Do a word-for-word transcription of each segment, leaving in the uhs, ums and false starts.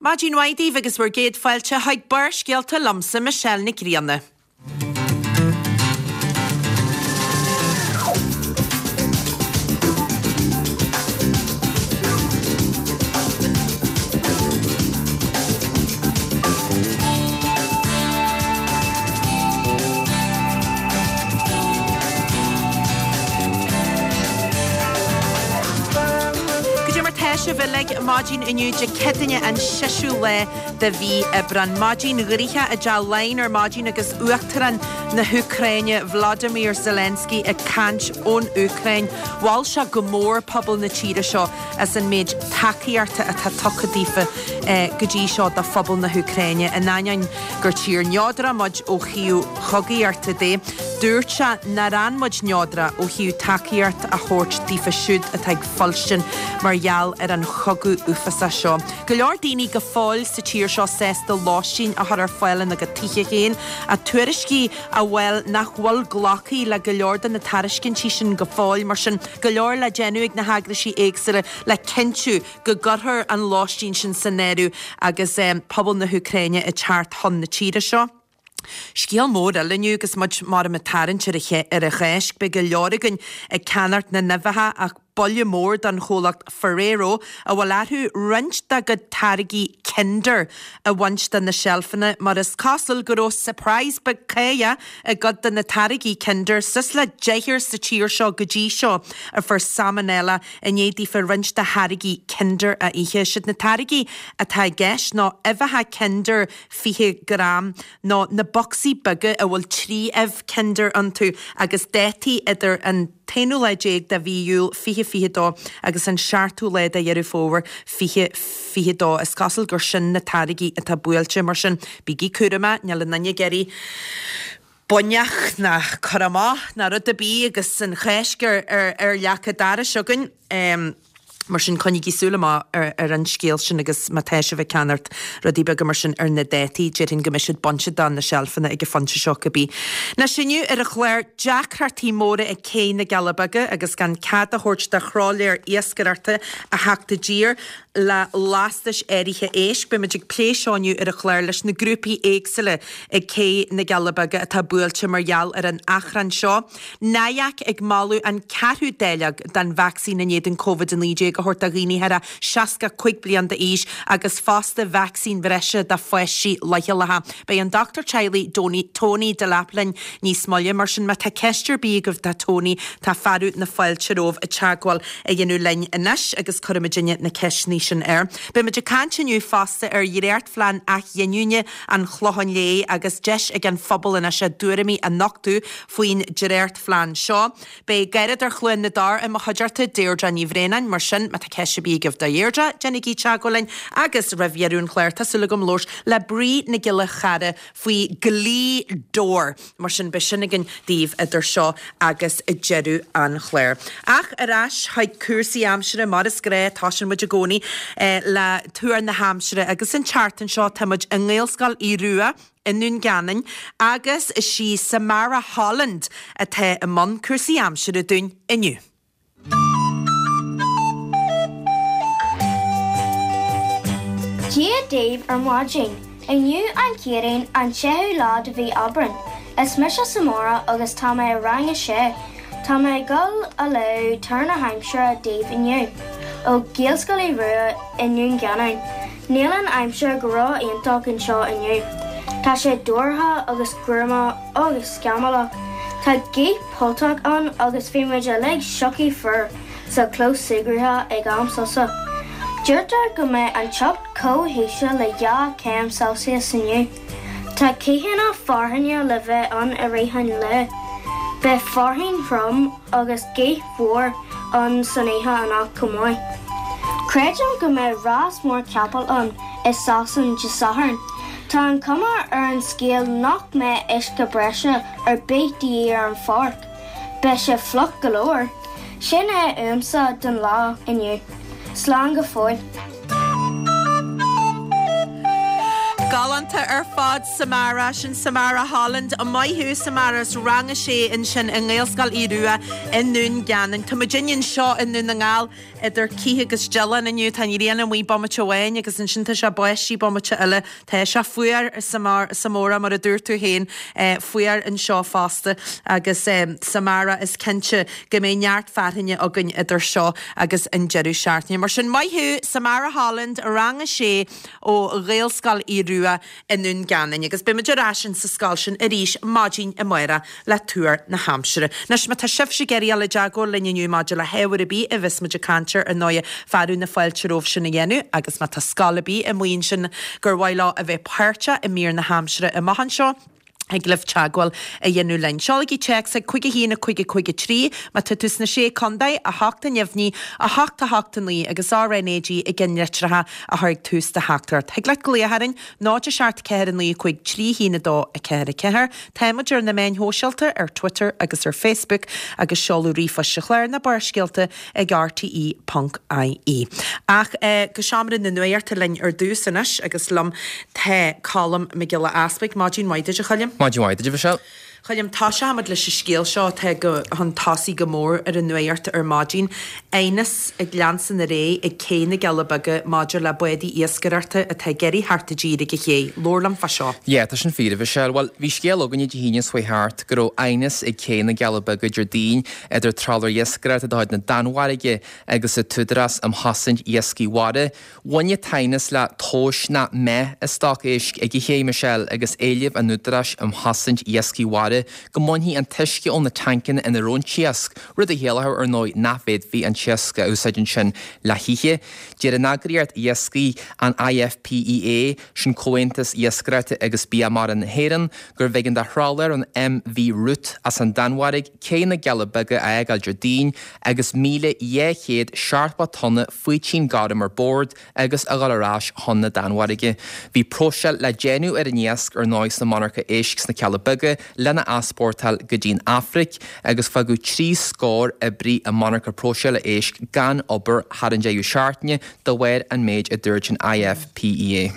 Maidin mhaith daoibh agus bhur gcéad fáilte chuig Barrscéalta liomsa Michelle Nic Grianna. Goidé mar tá sibh uilig maidin inniu Dé Céadaoine an seisiú lá de mhí Aibreán. Maidin ghnoitheach i dTeach Laighean ar maidin agus Uachtarán na hÚcráine Volodymyr Zelensky ag caint ón Úcráin. Mhol sé go mór pobal na tíre seo as an méid tacaíochta atá tugtha daofa go dtí seo do phobal na hÚcráine. In ainneoin gur tír neodrach muid ó thaobh chogaíochta de, dúirt sé nár fhan muid neodrach ó thaobh tacaíocht a thabhairt daofa siúd atá ag fuilstin mar gheall ar an chogadh uafásach seo. Go leor daoine go fóill sa tír seo sásta lóistín a chur ar fáil ina gcuid tithe féin, ach tuairiscí a bhfuil nach bhfuil glactha le go leor de na tairiscintí sin go fóill, mar sin go leor le déanamh ag na heagraisí éagsúla le cinntiú go gcuirfear an lóistín sin san áireamh agus pobal na hÚcráine ag teacht chun na tíre seo. Scéal mór eile inniu agus muid mar ag tarraingt ar an Cháisc, beidh go leor againn ag ceannacht na n-uibheacha ach buille mór don chomhlacht Ferrero a bhfuil orthu roinnt dá gcuid táirgí Kinder a bhaint de na seilfeanna mar is cosúil go raibh surprise beag cáidhe i gcuid de na táirgí Kinder suas le deichniúr sa tír seo go dtí seo a fuair salmonella i ndiaidh daofa roinnt de tháirgí Kinder a ithe. Siad na táirgí atá i gceist ná uibheacha Kinder fiche gram nó na bocsaí beaga a bhfuil trí uibh Kinder iontu agus dátaí idir an t-aonú lá déag de mhí Iúil fiche fiche dó agus an seachtú lá de Dheireadh Fómhair fiche fiche dó. Is cosúil gur sin na táirgí atá buailte mar sin bígí cúramach, níl aon duine ag iarraidh buinneach ná cur amach ná rud ar bith agus an Cháisc ar ar ar leac an dorais againn. Um, Mar sin coinnígí súil amach ar, ar an scéal sin agus má tá sibh ag ceannacht rudaí beaga mar sin ar na dátaí, déarfainn go mbeidh siad bainte de na seilfeanna ag an phointe seo cibé. Anois inniu ar an chlár deacrachtaí móra ag Cé na gCealla Beaga agus gan cead a thabhairt do thrálaer iascaireachta a theacht i dtír le lastais áirithe éisc. Beidh muid ag plé seo inniu ar an chlár leis na grúpaí éagsúla ag Cé na gCealla Beaga atá buailte mar gheall ar an achrann seo. NIAC ag moladh an ceathrú dáileog den vacsaín in éadan Covid a naoi déag a thabhairt do dhaoine thar a seasca cúig bliain d'aois agus fosta vacsaín bhreise do pháistí leochaileacha. Beidh an dochtúir teaghlaigh Tony Delap linn níos moille, mar sin má tá ceist ar bith agaibh do Tony tá fearadh na fáilte romhaibh teagmháil a dhéanamh linn anois agus cuirfimidinne na ceisteanna sin air. Beidh muid ag caint inniu fosta ar dhréachtphlean athghiniúna an Chlocháin Léith agus deis ag an phobal anois a dtuairimí a nochtadh faoin dréachtphlean seo. Beidh Garradóir Chluain na dTor i mo chuideachta, Deirdre Ní Bhraonáin, mar sin má tá ceist ar bith agaibh do Dheirdre, déanaigí teagmháil linn agus roimh dheireadh an chláir tá súil agam labhairt le Brí Nic Giolla Chara faoi Ghlaoth Dobhair. Mar sin beidh sin againn daoibh idir seo agus deireadh an chláir. Ach ar ais chuig cúrsaí aimsire mar is gnách tosaíonn muid i gcónaí le tuar na haimsire agus an tseachtain seo tá muid i nGaelscoil Aodh Rua i nDún Geanainn agus is í Samara Holland atá i mbun cúrsaí aimsire dúinn inniu. Dia daoibh ar maidin. Inniu an Chéadaoin an séú lá de mhí Aibreán. Is mise Samara agus tá mé i rang a sé. Tá mé ag dul a léamh tuar na haimsire daoibh inniu. Ó Ghaelscoil Aodh Rua i nDún Geanainn. Níl an aimsir go ró-iontach anseo inniu. Tá sé dorcha agus gruama agus scamallach. Tá gaoth polltach ann agus bhí muid uilig sioctha fuar sa chlós súgartha ag am sosa. Deirtear go mbeidh an teocht chomh híseal le dhá chéim Celsius inniu. Tá ceathanna fearthainne le bheith ann i rith an lae. Beidh fearthainn throm agus gaoth mhór ann san oíche anocht chomh maith. Creidim go mbeidh rás mór capall ann i Sasain Dé Sathairn. Tá an chuma ar an scéal nach mbeidh uisce breise ar bith de dhíth ar an pháirc. Beidh sé fliuch go leor. Sin é uaimse don lá inniu. Slán go fóill. Galánta ar fad. fad Samara sin Samara Holland maith thú Samara as rang a sé ansin i nGaelscoil Aodh Rua i nDún Geanainn. Tá muid anseo i nDún na nGall idir cith agus dealán inniu tá an ghrian amuigh bomaite amháin agus ansin tá sé ag báisteach bomaite eile Tá sé fuar Samara mar a dúirt tú féin fuar anseo fosta agus Samara is cinnte go mbeidh neart fearthainne againn idir seo agus an deireadh seachtaine. Mar sin maith thú Samara Holland rang a sé ó Ghaelscoil Aodh Rua i nDún Geanainn, agus beimid ar ais sa scoil sin arís maidin amárach le tuar na haimsire. Anois má tá sibhse ag iarraidh dul i dteagmháil linn inniu maidir le hábhar ar bith a bheas muid ag caint air ar ndóigh fearadh na fáilte romhaibh sin a dhéanamh agus má tá scoil ar bith amuigh ansin gur mhaith leo a bheith páirteach i mír na haimsire amach anseo. Thig libh teagmháil a dhéanamh linn. Seolaigí téacs ag cúig a haon a cúig a cúig a trí má tá tú sna sé contae, a hocht a neamhní, a hocht a hocht a naoi agus RNAG i gceannlitreacha a chur ag tús do theachtaireacht. Thig leat glaoch orainn náid a seacht ceathair a naoi cúig trí haon a dó a ceathair a ceathair. Táimid ar na meáin shóisialta ar Twitter agus ar Facebook agus seoladh ríomhphoist sa chlár na Barrscéalta ag rte ponc ie. Ach go seomra na nuachta linn ar dtús anois agus liom tá Colm Mac Giolla Easpaig. Maidin mhaith duit a Choilm. Maidin mhaith duit a Mhichelle. Choilm, tosóimid leis an scéal seo atá go chun tosaigh go mór ar an nuacht ar maidin. Aighneas ag leanstan ar aghaidh ag Cé na gCealla Beaga maidir le bádaí iascaireachta atá ag iarraidh theacht i dtír ag an ché. Labhair liom fá seo. Yeah, tá sin fíor, a Mhichelle. Bhuel, bhí scéal againne Dé hAoine seo thart go raibh aighneas ag Cé na gCealla Beaga Déardaoin idir trawler iascaireachta de chuid na Danmhairge agus an tÚdarás um Chosaint Iascaigh Mhara. Bhain an t-aighneas le tomhais nach mbeadh i stoc éisc ag an ché, Michelle, agus éileamh an Údaráis um Chosaint Iascaigh Mhara go mbainfí an t-uisce ó na tancanna ina raibh an t-iasc, rud a chiallódh ar ndóigh nach bhféadfaí an t-iasc a úsáid ansin le hithe. Deir an eagraíocht iascaigh, an IFPEA, sin Comhaontas Iascaireachta agus Bia Mara na hÉireann, gurbh éigean do thrawler an MV Rut as an Danmhairg Cé na gCealla Beaga a fhágáil Déardaoin agus míle dhá chéad seachtó tonna faoitín gorm ar bord agus a dhul ar ais chun na Danmhairge. Bhí próiseáil le déanamh ar an iasc ar ndóigh sna monarcha éisc sna Cealla Beaga lena easpórtáil go dtí'n Afraic agus fágadh trí scór oibrí i monarcha próiseála éisc gan obair thar an deireadh seachtaine de bharr an méid a dúirt an IFPEA.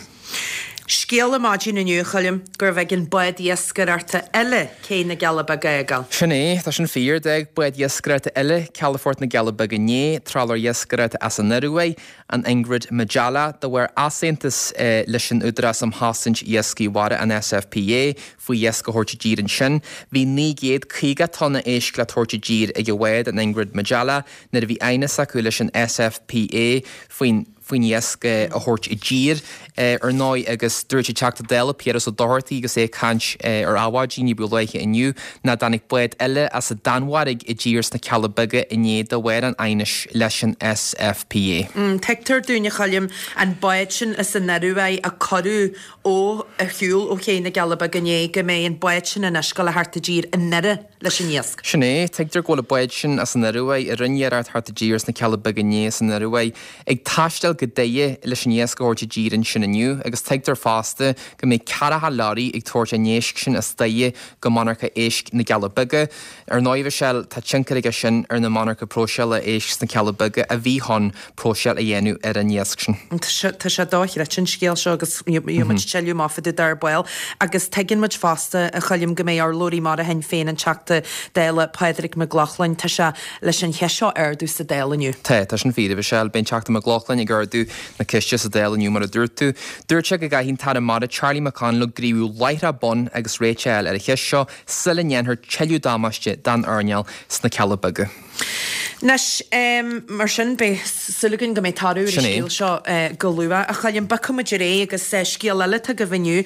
Scéal ar maidin inniu, a Choilm, gurbh éigean bád iascaireachta eile Cé na gCealla Beaga a fhágáil. Sin é, tá sin fíor, d'fhág bád iascaireachta eile calafort na gCealla Beaga inné, trawler iascaireachta as an Ioruaidh, an Ingrid Majella, de bharr easaontas leis an Údarás um Chosaint Iascaigh Mhara, an SFPA, faoi iasc a thabhairt i dtír ansin. Bhí naoi gcéad caoga tonna éisc le tabhairt i dtír ag an bhád, an Ingrid Majella, nuair a bhí aighneas acu leis an SFPA faoin faoin iasc a thabhairt i dtír, ar ndóigh, agus dúirt an Teachta Dála Piaras Ó Dochartaigh agus é ag caint ar Adhmhaidin ní ba luaithe inniu nach dtáinig bád eile as an Danmhairg i dtír sna Cealla Beaga inné de bharr an aighnis leis an SFPA. Tuigtear dúinn, a Choilm, an bád sin as an Ioruaidh a cuireadh ó ar shiúl ó Ché na gCealla Beaga inné, go mbeidh an bád sin anois ag dul a theacht i dtír i nDoire leis an iasc. Sin é, tuigtear go bhfuil an bád sin as an Ioruaidh, a rinne iarracht theacht i dtír sna Cealla Beaga inné as an Ioruaidh, ag taisteal go Doire leis an iasc a thabhairt i dtír ansin inniu agus tuigtear fosta go mbeidh ceathracha leoraí ag tabhairt an éisc sin as Doire go monarcha éisc na gCealla Beaga. Ar ndóigh, Michelle, tá tionchar aige sin ar na monarcha próiseála éisc sna Cealla Beaga a bhí chun próiseáil a dhéanamh ar an iasc sin. Tá sé dochreidte an scéal seo agus gheobhaidh muid tuilleadh amach fá dtaobh de ar ball agus tuigeann muid fosta, a Choilm, go mbeidh urlabhraí mara Shinn Féin, an Teachta Dála Pádraig Mac Lochlainn, tá sé leis an cheist seo a ardú sa Dáil inniu. Tá, tá sin fíor, a Mhichelle. Beidh an Teachta Mac Lochlainn ag ardú na ceiste sa Dáil inniu mar a dúirt tú. Dúirt sé go gcaithfidh an tAire Mara Charlie McConalogue gníomhú láithreach bonn agus réiteach a fháil ar an cheist seo sula ndéanfar tuilleadh damáiste don earnáil sna Cealla Beaga. Anois, mar sin, beidh súil againn go mbeidh toradh ar an scéal seo go luath. A Choilm, bogfaidh muid ar aghaidh agus scéal eile atá agaibh inniu,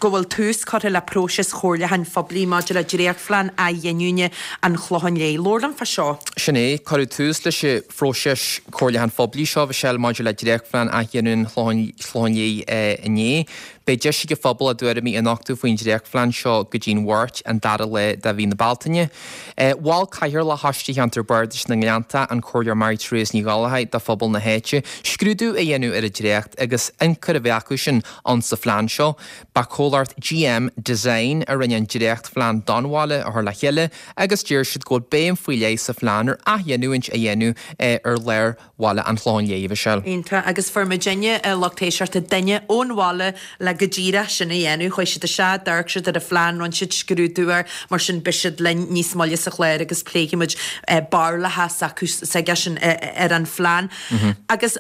go bhfuil tús curtha le próiseas chomhairliúcháin phoiblí maidir le dréachtphlean athghiniúna an Chlocháin Léith. Labhair liom fá seo. Sin é, cuireadh tús leis an phróiseas comhairliúcháin phoiblí seo, a Mhichelle, maidir le dréachtphlean athghiniúna an Chlocháin Léith inné. Beidh deis ag an phobal a dtuairimí a nochtadh faoin dréachtphlean seo go dtí'n Mháirt, an dara lá de mhí na Bealtaine. Mhol Cathaoirleach Choiste Cheantar Bardais na nGleanntach, leantach, an Comhairleoir Mary Therese Ní Ghallchóir do phobal na háite, scrúdú a dhéanamh ar an dréacht agus ionchur a bheith acu sin ann sa phlean seo. Ba comhlacht GM Design a rinne an dréachtphlean don bhaile a chur le chéile agus deir siad go bhfuil béim faoi leith sa phlean ar athghiniúint a dhéanamh ar lár bhaile an Chlocháin Léith, a Mhichelle. Iontach, agus fuair muidinne, a lucht éisteachta, duine ón bhaile le go díreach sin a dhéanamh. Chuaigh siad isteach, d'amharc siad ar an phlean, rinne siad scrúdú air, mar sin beidh siad linn níos moille sa chlár agus pléifidh muid barúlacha s'acu s'aigesean ar an phlean. Agus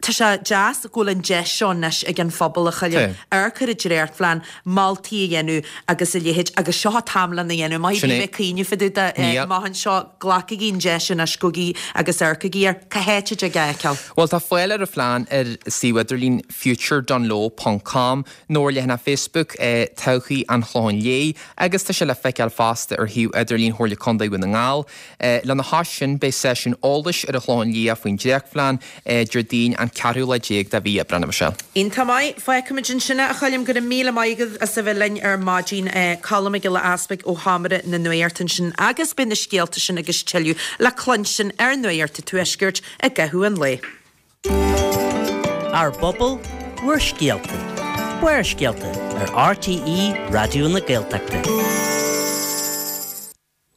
tá sé deas go bhfuil an deis seo anois ag an phobal, a Choilm, amharc ar an dréachtphlean, moltaí a dhéanamh agus a leithéid agus seo an t-am lena dhéanamh. Maith bhí mé ag cuimhneamh fá dtaobh de amach anseo, glacaigí an deis anois, gabhaigí agus amharcaigí air. Cá háit a dtig é a fheiceáil? Bhuel, tá fáil ar an phlean ar suíomh idirlín future dungloe ponc com nó ar leathanach Facebook Todhchaí an Chlocháin Léith agus tá sé le feiceáil fosta ar shuíomh idirlín Chomhairle Contae Dhún na nGall. Lena chois sin, beidh seisiún eolais ar an Chlochán Liath faoin dréachtphlean Déardaoin an ceathrú lá déag de mhí Aibreán, a Mhichelle. Iontach maith. Fágfaimid ansin é, a Choilm. Go raibh míle maith agat as a bheith linn ar maidin. Colm Mac Giolla Easpaig ó Sheomra na Nuachta ansin agus beidh na scéalta sin agus tuilleadh le cluinstin ar Nuacht an Tuaiscirt i gcaitheamh an lae. Ár bpobal, bhur scéalta. Barrscéalta ar RTÉ Raidió na Gaeltachta.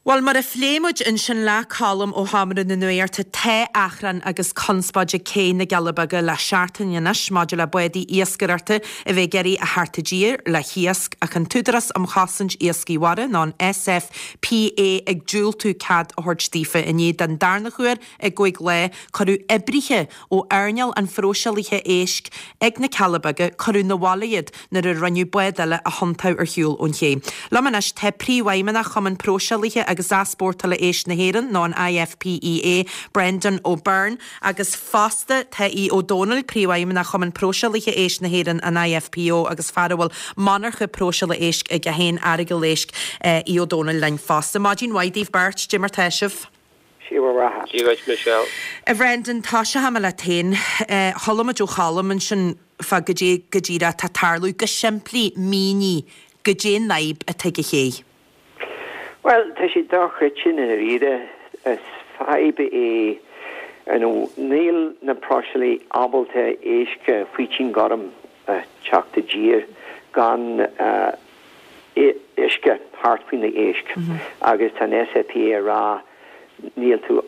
Bhuel, mar a phléigh muid ansin le Colm ó Sheomra na Nuachta, tá achrann agus conspóid ag Cé na gCealla Beaga le seachtain anois maidir le bádaí iascaireachta a bheith ag iarraidh a theacht i dtír le hiasc ach an tÚdarás um Chosaint Iascaigh Mhara, nó an SFPA, ag diúltú cead a thabhairt daofa inné den darna huair i gcúig lá. Cuireadh oibrithe ó earnáil an phróiseálaithe éisc ag na Cealla Beaga, cuireadh 'na bhaile iad nuair a rinneadh bád eile a thiontú ar shiúl ón ché. Liom anois tá Príomhfheidhmeannach Chumann Próiseálaithe agus Easpórtála Éisc na hÉireann, nó an IFPEA, Brendan O'Byrne, agus fosta tá Aodh Ó Domhnaill, Príomhfheidhmeannach Chumann Próiseálaithe Éisc na hÉireann, an IFPO, agus fear a bhfuil monarcha próiseála éisc aige féin, Earagail Éisc, Aodh Ó Domhnaill linn fosta. Maidin mhaith daoibh beirt, dé mar tá sibh? Dia bhur mbeatha. Dia dhuit Michelle. A Bhrendan, tosóidh mé leat féin. Chuala muid ó Cholm ansin fá goidé go díreach atá ag tarlú. Go simplí, mínigh goidé an fhadhb atá ag an ché. Bhuel, tá sé dochreidte i ndáiríre. Is fadhb é, you know, níl na próiseálaithe ábalta éisc faoitín gorm a teacht i dtír gan uisce thart faoi na éisc agus tá an SFPA ag rá níl tú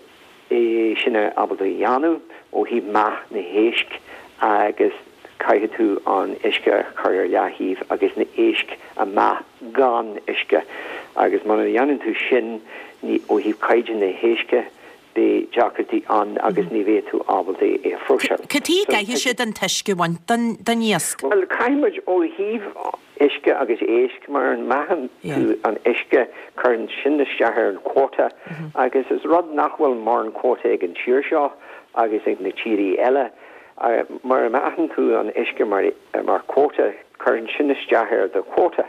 é sin ábalta a dhéanamh ó thaobh meath na héisc agus caithfidh tú an uisce a chur ar leaththaobh agus na éisc a meath gan uisce agus muna dhéanann tú sin ní ó thaobh caighdeán na héisce beidh deacrachtaí ann agus ní bheidh tú ábalta é a phróiseáil. Cad chuige a gcaithfidh siad an t-uisce a bhaint den iasc? Bhuel, caithfidh muid ó thaobh uisce agus éisc, mura meathann tú an uisce, cuireann sin isteach ar an quota agus is rud nach bhfuil mórán quota ag an tír seo agus ag na tírí eile. Mura meathann tú an uisce mar mar quota, cuireann sin isteach ar do quota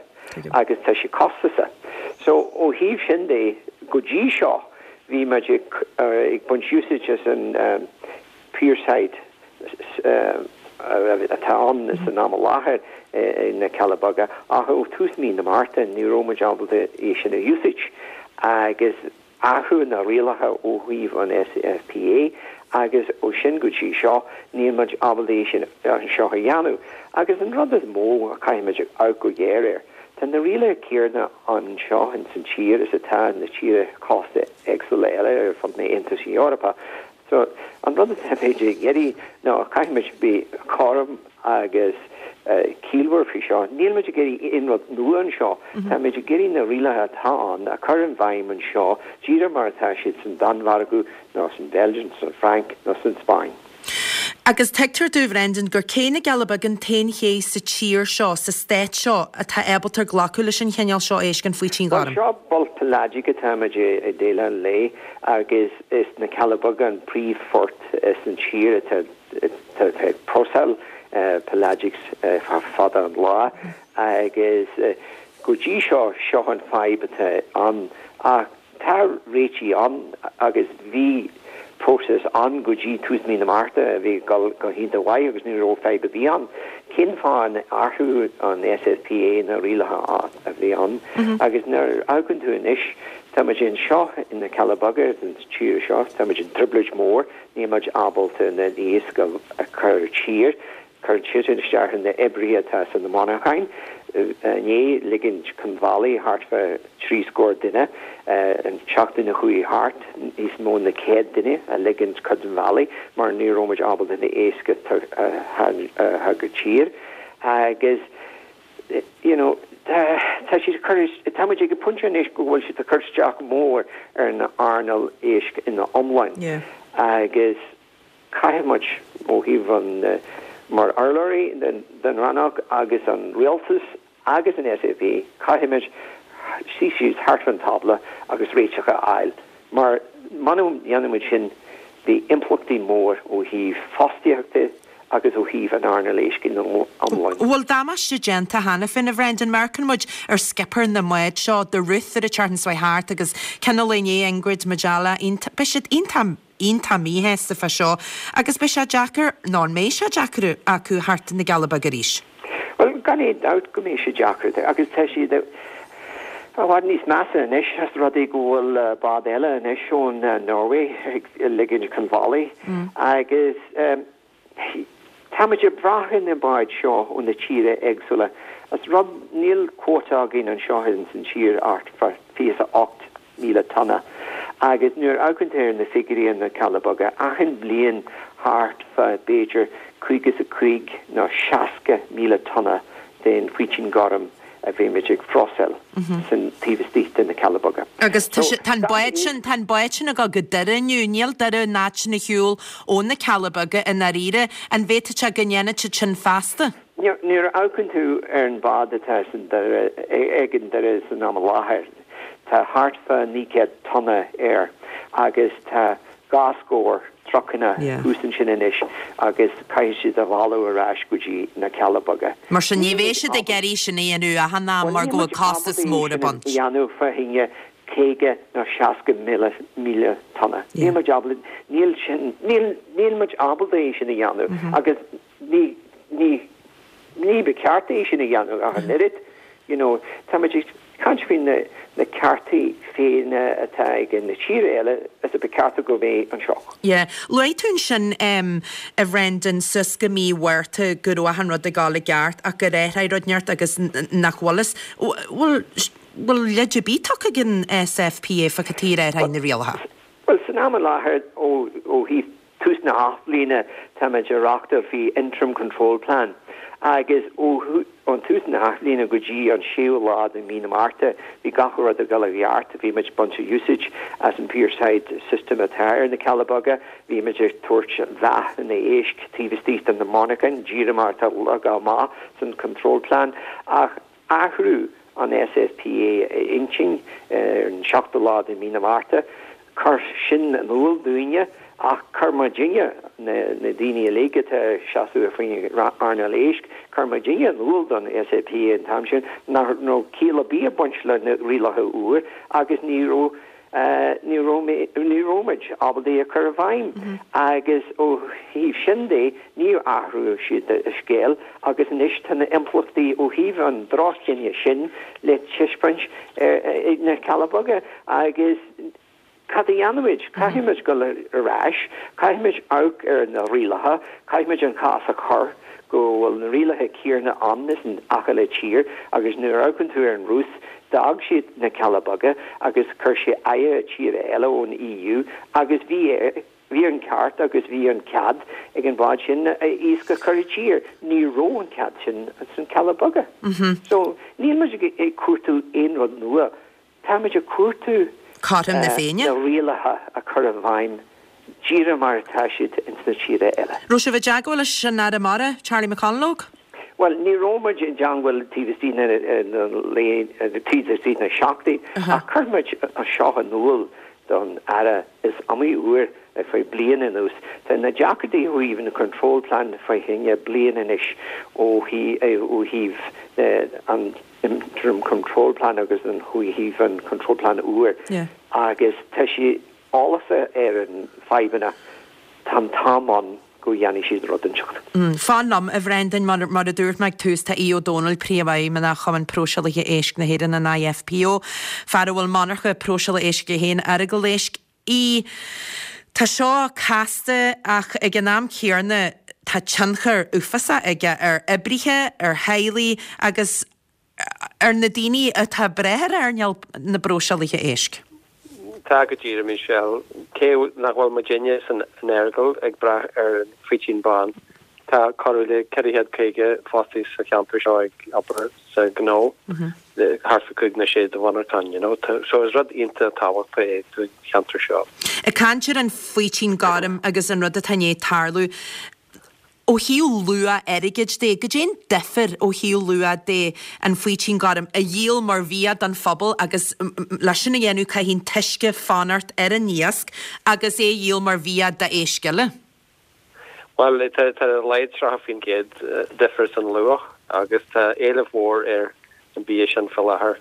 agus tá sé costasach. So ó thaobh sin de, go dtí seo bhí muid ag ag baint úsáid as an pierside atá ann san am i láthair i na Cealla Beaga ach ó tús mí na Márta ní raibh muid ábalta é sin a úsáid agus athrú na rialacha ó thaobh an SFPA agus ó sin go dtí seo níl muid ábalta é sin anseo a dhéanamh. Agus an rud is mó a chaithfidh muid amharc go géar air, tá na rialacha céanna anseo in san tír is atá na tíre cósta éagsúla eile ar fud na Aontais Eorpa. So, an rud atá muid ag iarraidh ná caithfidh muid bheith cothrom agus ciallmhar faoi seo. Níl muid ag iarraidh aon rud nua anseo. Tá muid ag iarraidh na rialacha atá ann a chur i bhfeidhm anseo díreach mar atá siad san Danmhairg nó san Bheilg, san Fhrainc nó san Spáinn. Agus tuigtear domh, Brendan, gur Cé na gCealla Beaga an t-aon ché sa tír seo, sa stát seo, atá ábalta glacadh leis an chineál seo éisc, an faoitín Bhuel, gorm. seo bulk pelagic atá muid ag déileáil léi agus is na Cealla Beaga an príomhphort san tír atá ag próiseáil pelagics fada an lá agus go dtí seo, seo an fadhb atá ann ach tá réitigh ann agus bhí próiseas ann go dtí tús mí na Márta a bhí ag dul go hiontach mhaith agus ní raibh fadhb ar bith ann. Cén fáth ar athraigh an SFPA na rialacha a bhí ann agus nuair a amharcann tú anois, tá muid anseo in na Cealla Beaga den tír seo, tá muid in trioblóid mór, níl muid ábalta na iasc a chur i tír, cuireann sé sin isteach ar na oibrithe atá sna monarchain, inné ligint chun bhealaigh thart fá trí scór duine, an tseachtain a chuaigh thart níos mó na céad duine a ligint chun bhealaigh mar ní raibh muid ábalta na éisc a chur i tír agus you know tá siad cur tá muid ag an pointe anois go bhfuil siad ag cur isteach mór ar an earnáil éisc ina iomlán agus caithfidh muid ó thaobh an mar urlabhraí den rannóg agus an rialtas agus an SAP, caithfidh muid suí síos thart an tábla agus réiteach a fháil mar muna ndéanann muid sin beidh impleachtaí mór ó thaobh fostaíochta agus ó thaobh an earnáil éisc ina iomlán. Bhfuil damáiste déanta cheana féin, a Bhrendan? Amharcann muid ar skipper na mbád seo, the Ruth ar an tseachtain seo thart agus ceann eile inné, Ingrid Majella, beidh siad iontach iontach míshásta fá seo agus beidh sé deacair, nó an mbeidh sé deacair acu theacht na gCealla Beaga arís? Bhuel, gan aon dabht go mbeidh sé deacair agus tá siad i bhfad níos measa anois as rud é go bhfuil bád eile anois ón Norway ag ligint chun bhealaigh agus táimid ag brath ar na báid seo ó na tíre éagsúla. As rud níl quota againn anseo in san tír ach fiche a ocht míle tonna agus nuair a amharcann tú ar na figiúirí na Cealla Beaga achan bliain thart fá b'fhéidir caoga is a cúig nó seasca míle tonna den faoitín gorm a bhímid ag phróiseáil san taobh istigh de na Cealla Beaga. Agus tá an bád sin, tá an bád sin ag dul go Doire inniu, níl Doire an áit sin ar shiúl ó na Cealla Beaga i ndáiríre, an bhféadfadh sé go ndéanfadh siad sin feasta? Nuair a amharcann tú ar an bhád atá san Doire, ag an Doire san am i láthair, tá thart fá naoi gcéad tonna air agus tá dhá scór trucanna thuas ansin anois agus caithfidh siad a mhealladh ar ais go dtí na Cealla Beaga. Mar sin ní bheidh siad ag iarraidh sin a dhéanamh achan am mar go bhfuil costas mór ag baint. a dhéanamh fá choinne caoga nó seasca míle míle tonna. Níl muid ábalta, níl sin, níl, níl muid ábalta é sin a dhéanamh agus ní, ní, ní ba cheart é sin a dhéanamh ach an oiread. You know, tá muid ag caint faoi na, na ceartaí féin atá ag na tíre eile is a ba cheart go mbeidh anseo. Yeah. Luaigh tú ansin um, a Bhrendan suas go mí Mhárta go raibh achan rud ag dul i gceart ach gur athraigh rud inteacht agus nach bhfuil fhios. Bhfuil bhfuil leid ar bith tugtha ag an SFPA fá cad chuige ar athraigh na rialacha? Well, san am i láthair ó, ó thaobh tús na hathbhliana táimid ag reáchtáil faoi interim control plan agus ó ón tús na hathbhliana go dtí an séú lá de mí na Márta bhí gach rud ag dul i gceart, bhí muid baint úsáid as an pierside system atá ar na Cealla Beaga, bhí muid ag tabhairt mheath na éisc taobh istigh de na monarchain, díreach mar atá leagtha amach san control plan ach athrú an SFPA a intinn ar an seachtú lá de mí na Márta, chuir sin in iúl dúinne ach chuir muidinne na, na daoine uilig atá seasamh faoin earnáil éisc, chuir muidinne in iúl don SFPA an t-am sin nach raibh ciall ar bith ag baint le na rialacha úr agus ní raibh uh, ní raibh ní raibh muid ábalta é a chur i bhfeidhm agus ó thaobh sin de níor athraigh siad a scéal agus anois tá na impleachtaí ó thaobh an droch-chinneadh sin le taispeáint ag na Cealla Beaga agus Cad a dhéanfaimid? Caithfimid dul ar ais, caithfimid amharc ar na rialacha, caithfimid an cás a chur go bhfuil na rialacha céanna ann is in achan tír agus nuair a amharcann tú ar an Rúis, d'fhág siad na Cealla Beaga agus chuir sé aghaidh tíre eile ón EU agus bhí bhí an ceart agus bhí an cead ag an bhád sin iasc a chur i tír. Ní raibh an cead sin san Cealla Beaga. So níl muid ag cuartú aon rud nua. Táimid ag cuartú Cothrom na Féinne? na rialacha a chur i bhfeidhm díreach mar atá siad ins na tíre eile. Raibh sibh i dteagmháil leis an Aire Mara, Charlie McConalogue? Well, ní raibh muid i dteagmháil taobh istigh na taobh istigh na seachtain ach chuir muid seo in iúl don Aire is iomaí uair ar feadh bliain anuas. Tá na deacrachtaí ó thaobh na control plan fá choinne bliain anois ó ó thaobh an interim control plan agus an thaobh an control plan úr. Agus tá sé eolasa ar an fadhbanna tá an t-am ann go dhéanfaidh siad rud inteacht. Fan liom, a Bhrendan, mar a dúirt mé ag tús, tá Aodh Ó Dónaill, Príomhfheidhmeannach Chumann Próiseálaithe Éisc na hÉireann, an IFPO, fear a bhfuil monarcha próiseála éisc aige féin, Earagail Éisc. Aodh, tá seo casta ach ag an am céanna tá tionchar uafásach aige ar oibrithe, ar theaghlaigh agus ar na daoine atá ag brath ar earnáil na bpróiseálaithe éisc. Tá go díreach, Michelle. Cé nach bhfuil muidinne san Earagail ag brath ar an bhfaoitín bán, tá corradh le ceithre chéad caoga fostaí sa cheantar seo ag obair sa ghnó, thart fá cúig nó sé de mhonarcháin, you know. So is rud iontach tábhachtach é don cheantar seo. Ag caint ar an bhfaoitín gorm agus an rud atá i ndiaidh tarlú, Ó thaobh luach airgid de, goidé an difear ó thaobh luach de an faoitín gorm a dhíol mar bhia don phobal agus le sin a dhéanamh caithfidh an t-uisce fanacht ar an iasc agus é a dhíol mar bhia d'éisc eile? Bhuel, tá ar a laghad tríocha faoin gcéad difear san luach agus tá éileamh mhór ar an bia sin faoi láthair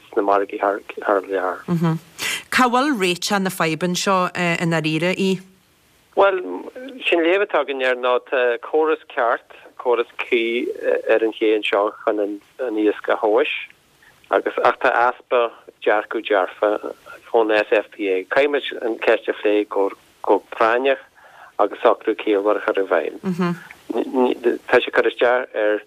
sna margaí thar lear. Cá bhfuil réiteach na fadhbanna seo i ndáiríre, Aodh? Bhuel, sé'n léamh atá againn air ná tá córas ceart, córas cuí ar an ché anseo chun an iasc a thomhais agus, ach tá easpa dearcadh dearfa ón SFPA. Caithfidh muid an ceist a phlé go práinneach agus socrú ciallmhar a chur i bhfeidhm. Tá sé ag cur isteach ar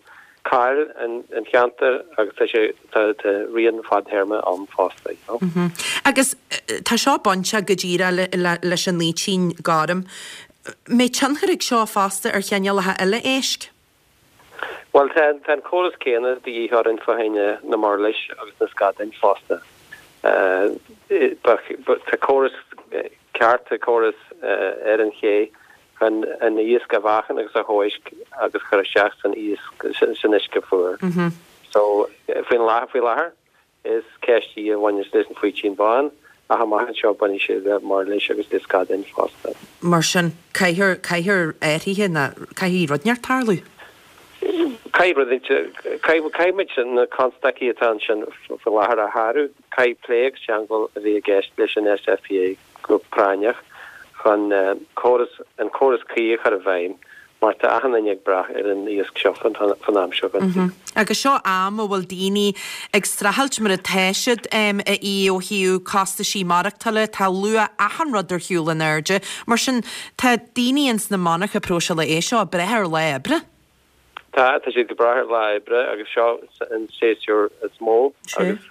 cáil an cheantair agus tá sé, tá rian fadthéarma ann fosta, you know. Agus tá seo bainteach go díreach leis an fhaoitín gorm. Mbeidh tionchar ag seo fosta ar chineálacha eile éisc? Bhuel, tá an córas céanna de dhíth orainn fá choinne na murlais agus na scadáin fosta. Tá córas ceart, tá córas ar an ché chun an iasc a mheáchan agus a thomhais agus chur isteach san iasc, san uisce fuar. So, faoin láthair, faoi láthair, is ceist í a bhaineanns leis an bhfaoitín bán, ach amach anseo bainfidh sé le murlais agus le scadáin fosta. Mar sin, caithfear, caithfear athruithe nó caithfidh rud inteacht tarlú? Caithfidh rud inteacht, caithfidh, caithfidh muid na constaicí atá ansin faoi láthair a shárú, caithfidh plé agus teagmháil a bheith i gceist leis an SFPA go práinneach chun córas, an córas cuí a chur i bhfeidhm mar tá achan duine ag brath ar an iasc seo fan am seo den saol. Agus seo am a bhfuil daoine ag streachailt mar atá siad a Aodh ó thaobh costaisí maireachtála, tá luach achan rud ar shiúl in airde, mar sin tá daoine ins na monarcha próiseála éisc seo ag brath ar lá oibre. Tá, tá siad ag brath ar lá oibre agus seo an séasúr is mó agus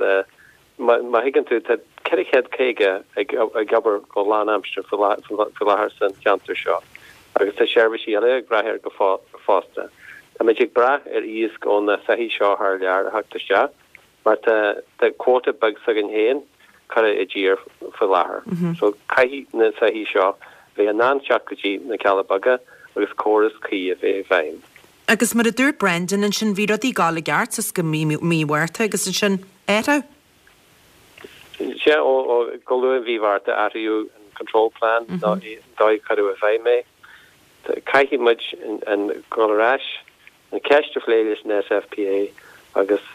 má thuigeann tú, tá ceithre chéad caoga ag obair go lánaimseartha faoi láthair san cheantar seo agus tá seirbhísí eile ag brath air go fosta. Táimid ag brath ar iasc ó na soithí seo thar lear a theacht isteach mar tá quota beag s'againn féin curtha i dtír faoi láthair. So caithfidh na soithí seo bheith in ann teacht go dtí na Cealla Beaga agus córas cuí a bheith i bhfeidhm. Agus mar a dúirt Brendan ansin, bhí rudaí ag gabháil i gceart suas go mí Mhárta agus ansin athrú. Sea, ó go luath i mhí Mhárta athraíodh an control plan, an dóigh a cuireadh i bhfeidhm é. Caithfidh muid an dul ar ais, an cheist a phlé leis an SFPA agus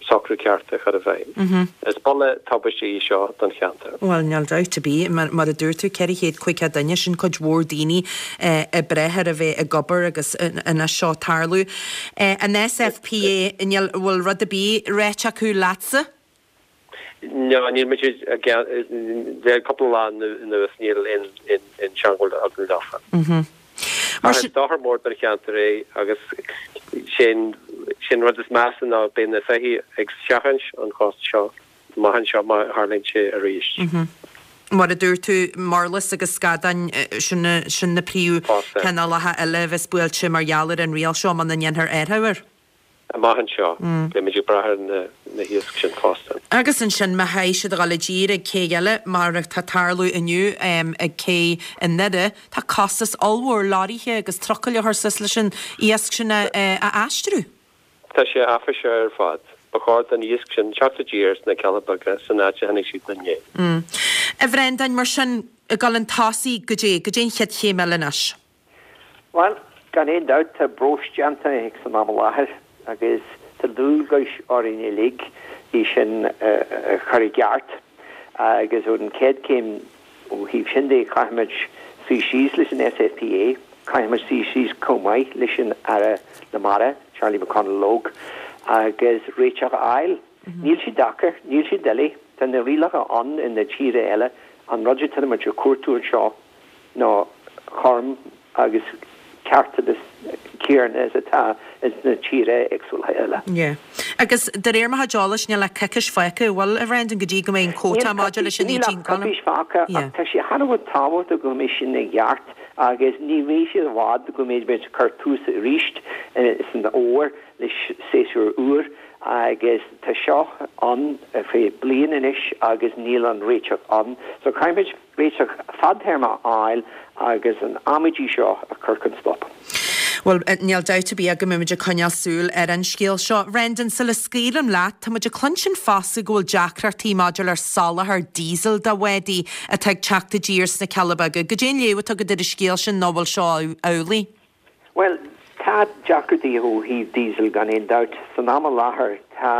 socrú ceart a chur i bhfeidhm. Is buille tubaiste í seo don cheantar. Bhuel, níl dabht ar bith, mar a dúirt tú, ceithre chéad caoga duine, sin cuid mhór daoine ag brath ar a bheith ag obair agus anois seo ag tarlú. An SFPA, níl, bhfuil rud ar bith ráite acu leatsa? No, níl muid ag, le cúpla lá anuas níl aon teagmháil againn leofa. Ach is dochar mór don cheantar é agus sé'n rud is measa ná beidh na soithí ag seachaint an chósta seo amach anseo má tharlaíonn sé arís. Mar a dúirt tú, murlas agus scadáin, sin na príomhchineálacha eile a bheas buailte mar gheall ar an riail seo muna ndéanfar athrú air. Amach anseo, beimid ag brath ar na hiasc sin fosta. Agus ansin, má chaithfidh siad a dhul i dtír ag cé eile, mar atá ag tarlú inniu ag cé i nDoire, tá costas ollmhór leoraithe agus trucail a chur suas leis an iasc sin a aistriú. Tá sé áiféiseach ar fad. Ba chóir don iasc sin teacht i dtír sna Cealla Beaga san áit a tháinig siad inné. A Bhreandáin, mar sin, ag dul chun tosaigh, goidé, goidé an chéad chéim eile anois? Bhuel, gan aon dabht tá breis déanta ag san am i láthair agus tá dualgais orainn uilig í sin a chur i gceart agus ón chéad chéim ó thaobh sin de caithfimid suí síos leis an SFPA Caithfidh muid suí síos chomh maith leis an Aire na Mara, Charlie McConalogue, agus réiteach a fháil. Níl sé deacair, níl sé doiligh, tá na rialacha ann in na tíortha eile, an rud atá muid ag cuartú anseo ná cothrom agus ceartas céanna is atá ins na tíortha éagsúla eile. Yeah. Agus de réir mo chuid eolais níl ach coicís fágtha, bhfuil, a Bhrendan, go dtí go mbeidh an quota maidir leis an Níl ach eighteen column? coicís fágtha Yeah. ach tá sé thar a bheith tábhachtach go mbeidh sin i gceart agus ní bheidh sé i bhfad go mbeidh muid ag cur tús arís san fhómhar le séasúr úr agus tá seo ann faoi bliain anois agus níl an réiteach ann. So caithfimid réiteach fadtéarma a fháil agus an amaidí seo a chur chun stop. Well, níl dabht ar bith go mbeimid ag coinneáil súil ar an scéal seo. Brendan, sula scaoilim leat, tá muid ag cluinstin fosta go bhfuil deacrachtaí maidir le soláthar diesel do bhádaí atá ag teacht i dtír sna Cealla Beaga. Goidé an léamh atá agat ar an scéal sin nó bhfuil seo amhlaidh? Well, tá deacrachtaí ó thaobh diesel gan aon dabht. San am i láthair tá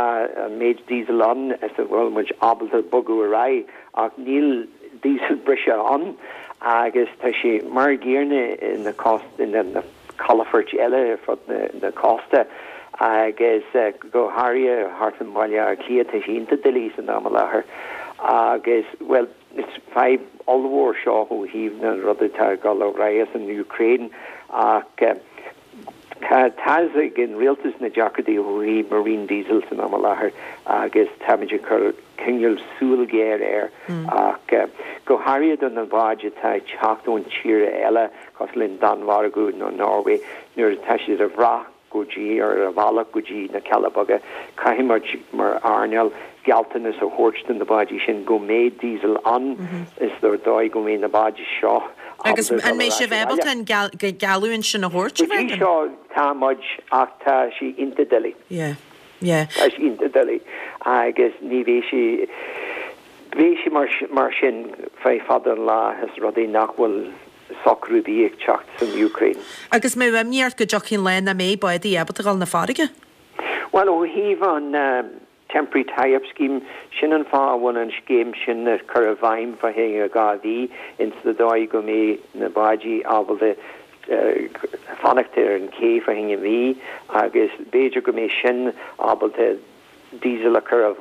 an méid diesel ann is a bhfuil muid ábalta bogadh ar aghaidh ach níl diesel breise ann agus tá sé mar an gcéanna ina cost ina na calafoirt eile ar fud na, na cósta agus uh, go háirithe thart i mBaile Átha Cliath tá sé iontach doiligh san am i láthair agus well is fadhb ollmhór seo ó thaobh na rudaí atá ag dul ar aghaidh san Ukraine ach uh, Tá tá ag an rialtas na deacrachtaí ó thaobh marine diesel san am i láthair agus táimid ag cur coinneáil súil ghéar air ach uh, go háirithe do na báid atá ag teacht ón tír eile cosúil le Danmhairg nó Norway nuair atá siad a bhrath go dtí ar a bhealach go dtí na Cealla Beaga caithfimid mar earnáil gealltanas a thabhairt do na báidí sin go mbeidh diesel ann is dóigh go mbeidh na báidí seo Agus ábalta an mbeidh dul ar sibh ais ábalta abhaile. an geall- go geallúint sin a thabhairt, Go dtí Brendan? seo tá muid ach tá sé iontach doiligh. Yeah. Yeah. Tá sé iontach doiligh agus ní bheidh sé bheidh sé mar, mar sin fé fada an lá is rudaí nach bhfuil socrú bí ag teacht san Ukraine. Agus mé imní ort go dtiocfaidh lá nach mbeidh bádaí ábalta dul na farraige? Well ó thaobh an um, temporary tie-up scheme sin an fáth a bhfuil an scéim sin a chur i bhfeidhm fá choinne dhá mhí ins na dóigh go mbeidh na báidí ábalta uh, fanacht ar an cé fá choinne mí agus b'fhéidir go mbeidh sin ábalta diesel a chur a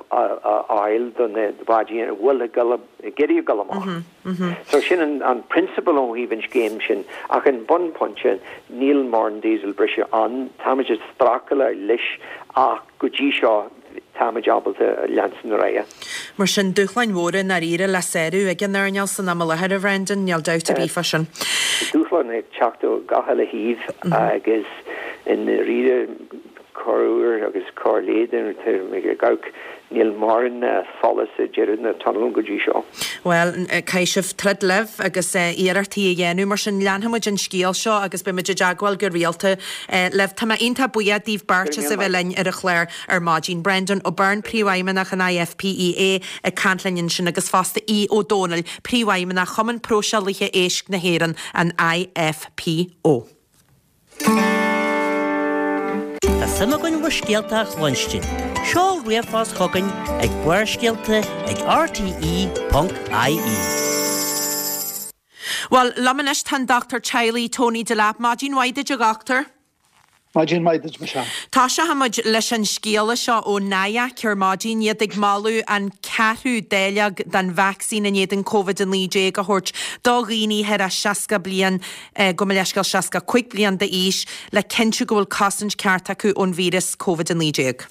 fháil do na báidí a bhfuil ag dul ag iarraidh dul amach. So sin an, an prionsabal ó thaobh an scéim sin ach an bunphointe níl mórán diesel breise ann táimid ag streachailt leis ach go dtí seo táimid ábalta leanstan ar aghaidh. Mar sin dúshláin mhóra dáiríre le sárú ag an earnáil san am i láthair a Bhrendan, níl dabht ar bith fá sin. Dúshlán ag teacht ó gach uile thaobh agus i ndáiríre corruair agus corrléidir gach níl mórán solas i deireadh na tunnel go dtí seo. Well, caithfidh sibh troid libh agus iarrachtaí a dhéanamh mar sin leanfaimid an scéal seo agus beimid i dteagmháil go rialta libh. Tá mé iontach buíoch daoibh beirt as a bheith linn ar an chlár ar maidin. Brendan O'Byrne príomhfheidhmeannach an IFPEA ag caint linn ansin agus fosta Aodh Ó Domhnaill príomhfheidhmeannach Chumann Próiseálaithe Éisc na hÉireann an IFPO. Tá suim againn bhur scéalta a chluinstin. Seol ríomhphost chugainn ag Barrscéalta ag rte.ie. Well, liom anois tá an Dr. Teaghlaigh Tony Delap, Maidin mhaith duit a dhochtúir. Maidin mhaith duit Michelle. Tosóimid leis an scéala seo ó NIAC ar maidin iad ag moladh an ceathrú dáileog den vacsaín in éadan COVID a naoi déag a thabhairt do dhaoine thar a seasca bliain go mba leisceal seasca cúig bliain d'aois le cinntiú go bhfuil cosaint ceart acu ón víreas COVID a naoi déag.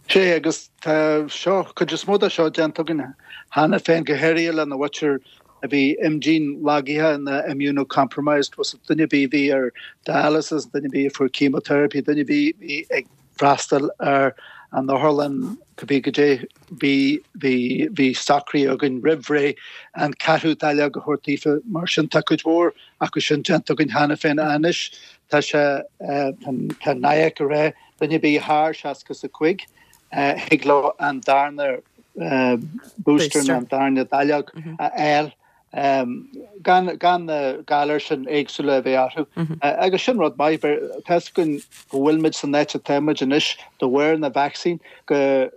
Sé agus tá seo cuid is mó de seo déanta againn cheana féin go háirithe lena mhuintir a bhí imdhíon lagaithe na immunocompromised was duine bhí bhí ar dialysis, duine bhí fuair chemotherapy, duine bhí bhí ag freastal ar an otharlann go bí go dé bhí bhí bhí socraithe againn roimh ré an ceathrú dáileog a thabhairt daofa mar sin tá cuid mhór acu sin déanta againn cheana féin anois tá sé tá NIAC a rá duine bhí thar seasca a cúig thig leo an darna booster an darna dáileog a fháil um, gan gan na galair sin éagsúla a bheith orthu. Mm -hmm. uh, agus sin rud maith tá go go bhfuilmuid san áit atáimid anois de bharr na vaccine go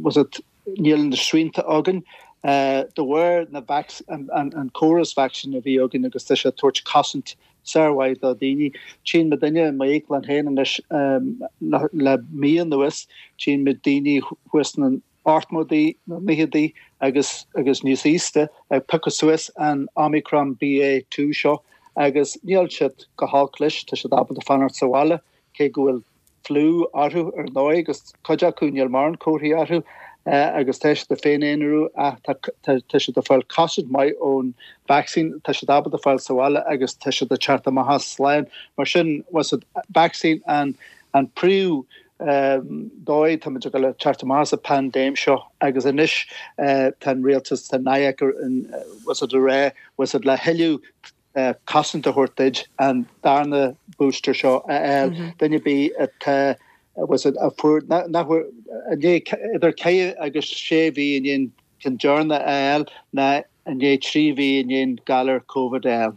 was it níl na srianta againn uh, de bharr na an, an, an córas vaccine a bhí againn agus tá sé ag tabhairt cosaint sármhaith do daoine. Tchíonn muidinne i m'íoclann féin anois le mí anuas, tchíonn muid daoine thuas sna hochtóidí, na naochaidí agus agus níos aosta ag piocadh suas an Omicron BA two seo agus níl siad go holc leis, tá siad ábalta fanacht sa bhaile cé go bhfuil fliú orthu ar ndóigh agus cuid acu níl mórán comharthaí orthu agus tá siad ag féin-aonarú ach tá siad ag fáil cosaint maith ón vacsaín, tá siad ábalta fáil sa bhaile agus tá siad ag teacht amach as slán. Mar sin, bhfuil fhios a'd, vacsaín an an príomh dóigh tá muid ag dul a teacht amach as an paindéim seo agus anois tá an rialtas, tá NIAC bhfuil fhios a'd ag rá, bhfuil fhios a'd le thuilleadh cosaint a thabhairt duit an darna booster seo a fháil. Duine ar bith atá, bhfuil fhios a'd, a fuair, nach bhfuair, i ndiaidh idir ceithre agus sé mhí i ndiaidh an ceann deireanach a fháil ná i ndiaidh trí mhí i ndiaidh an galar Covid a fháil.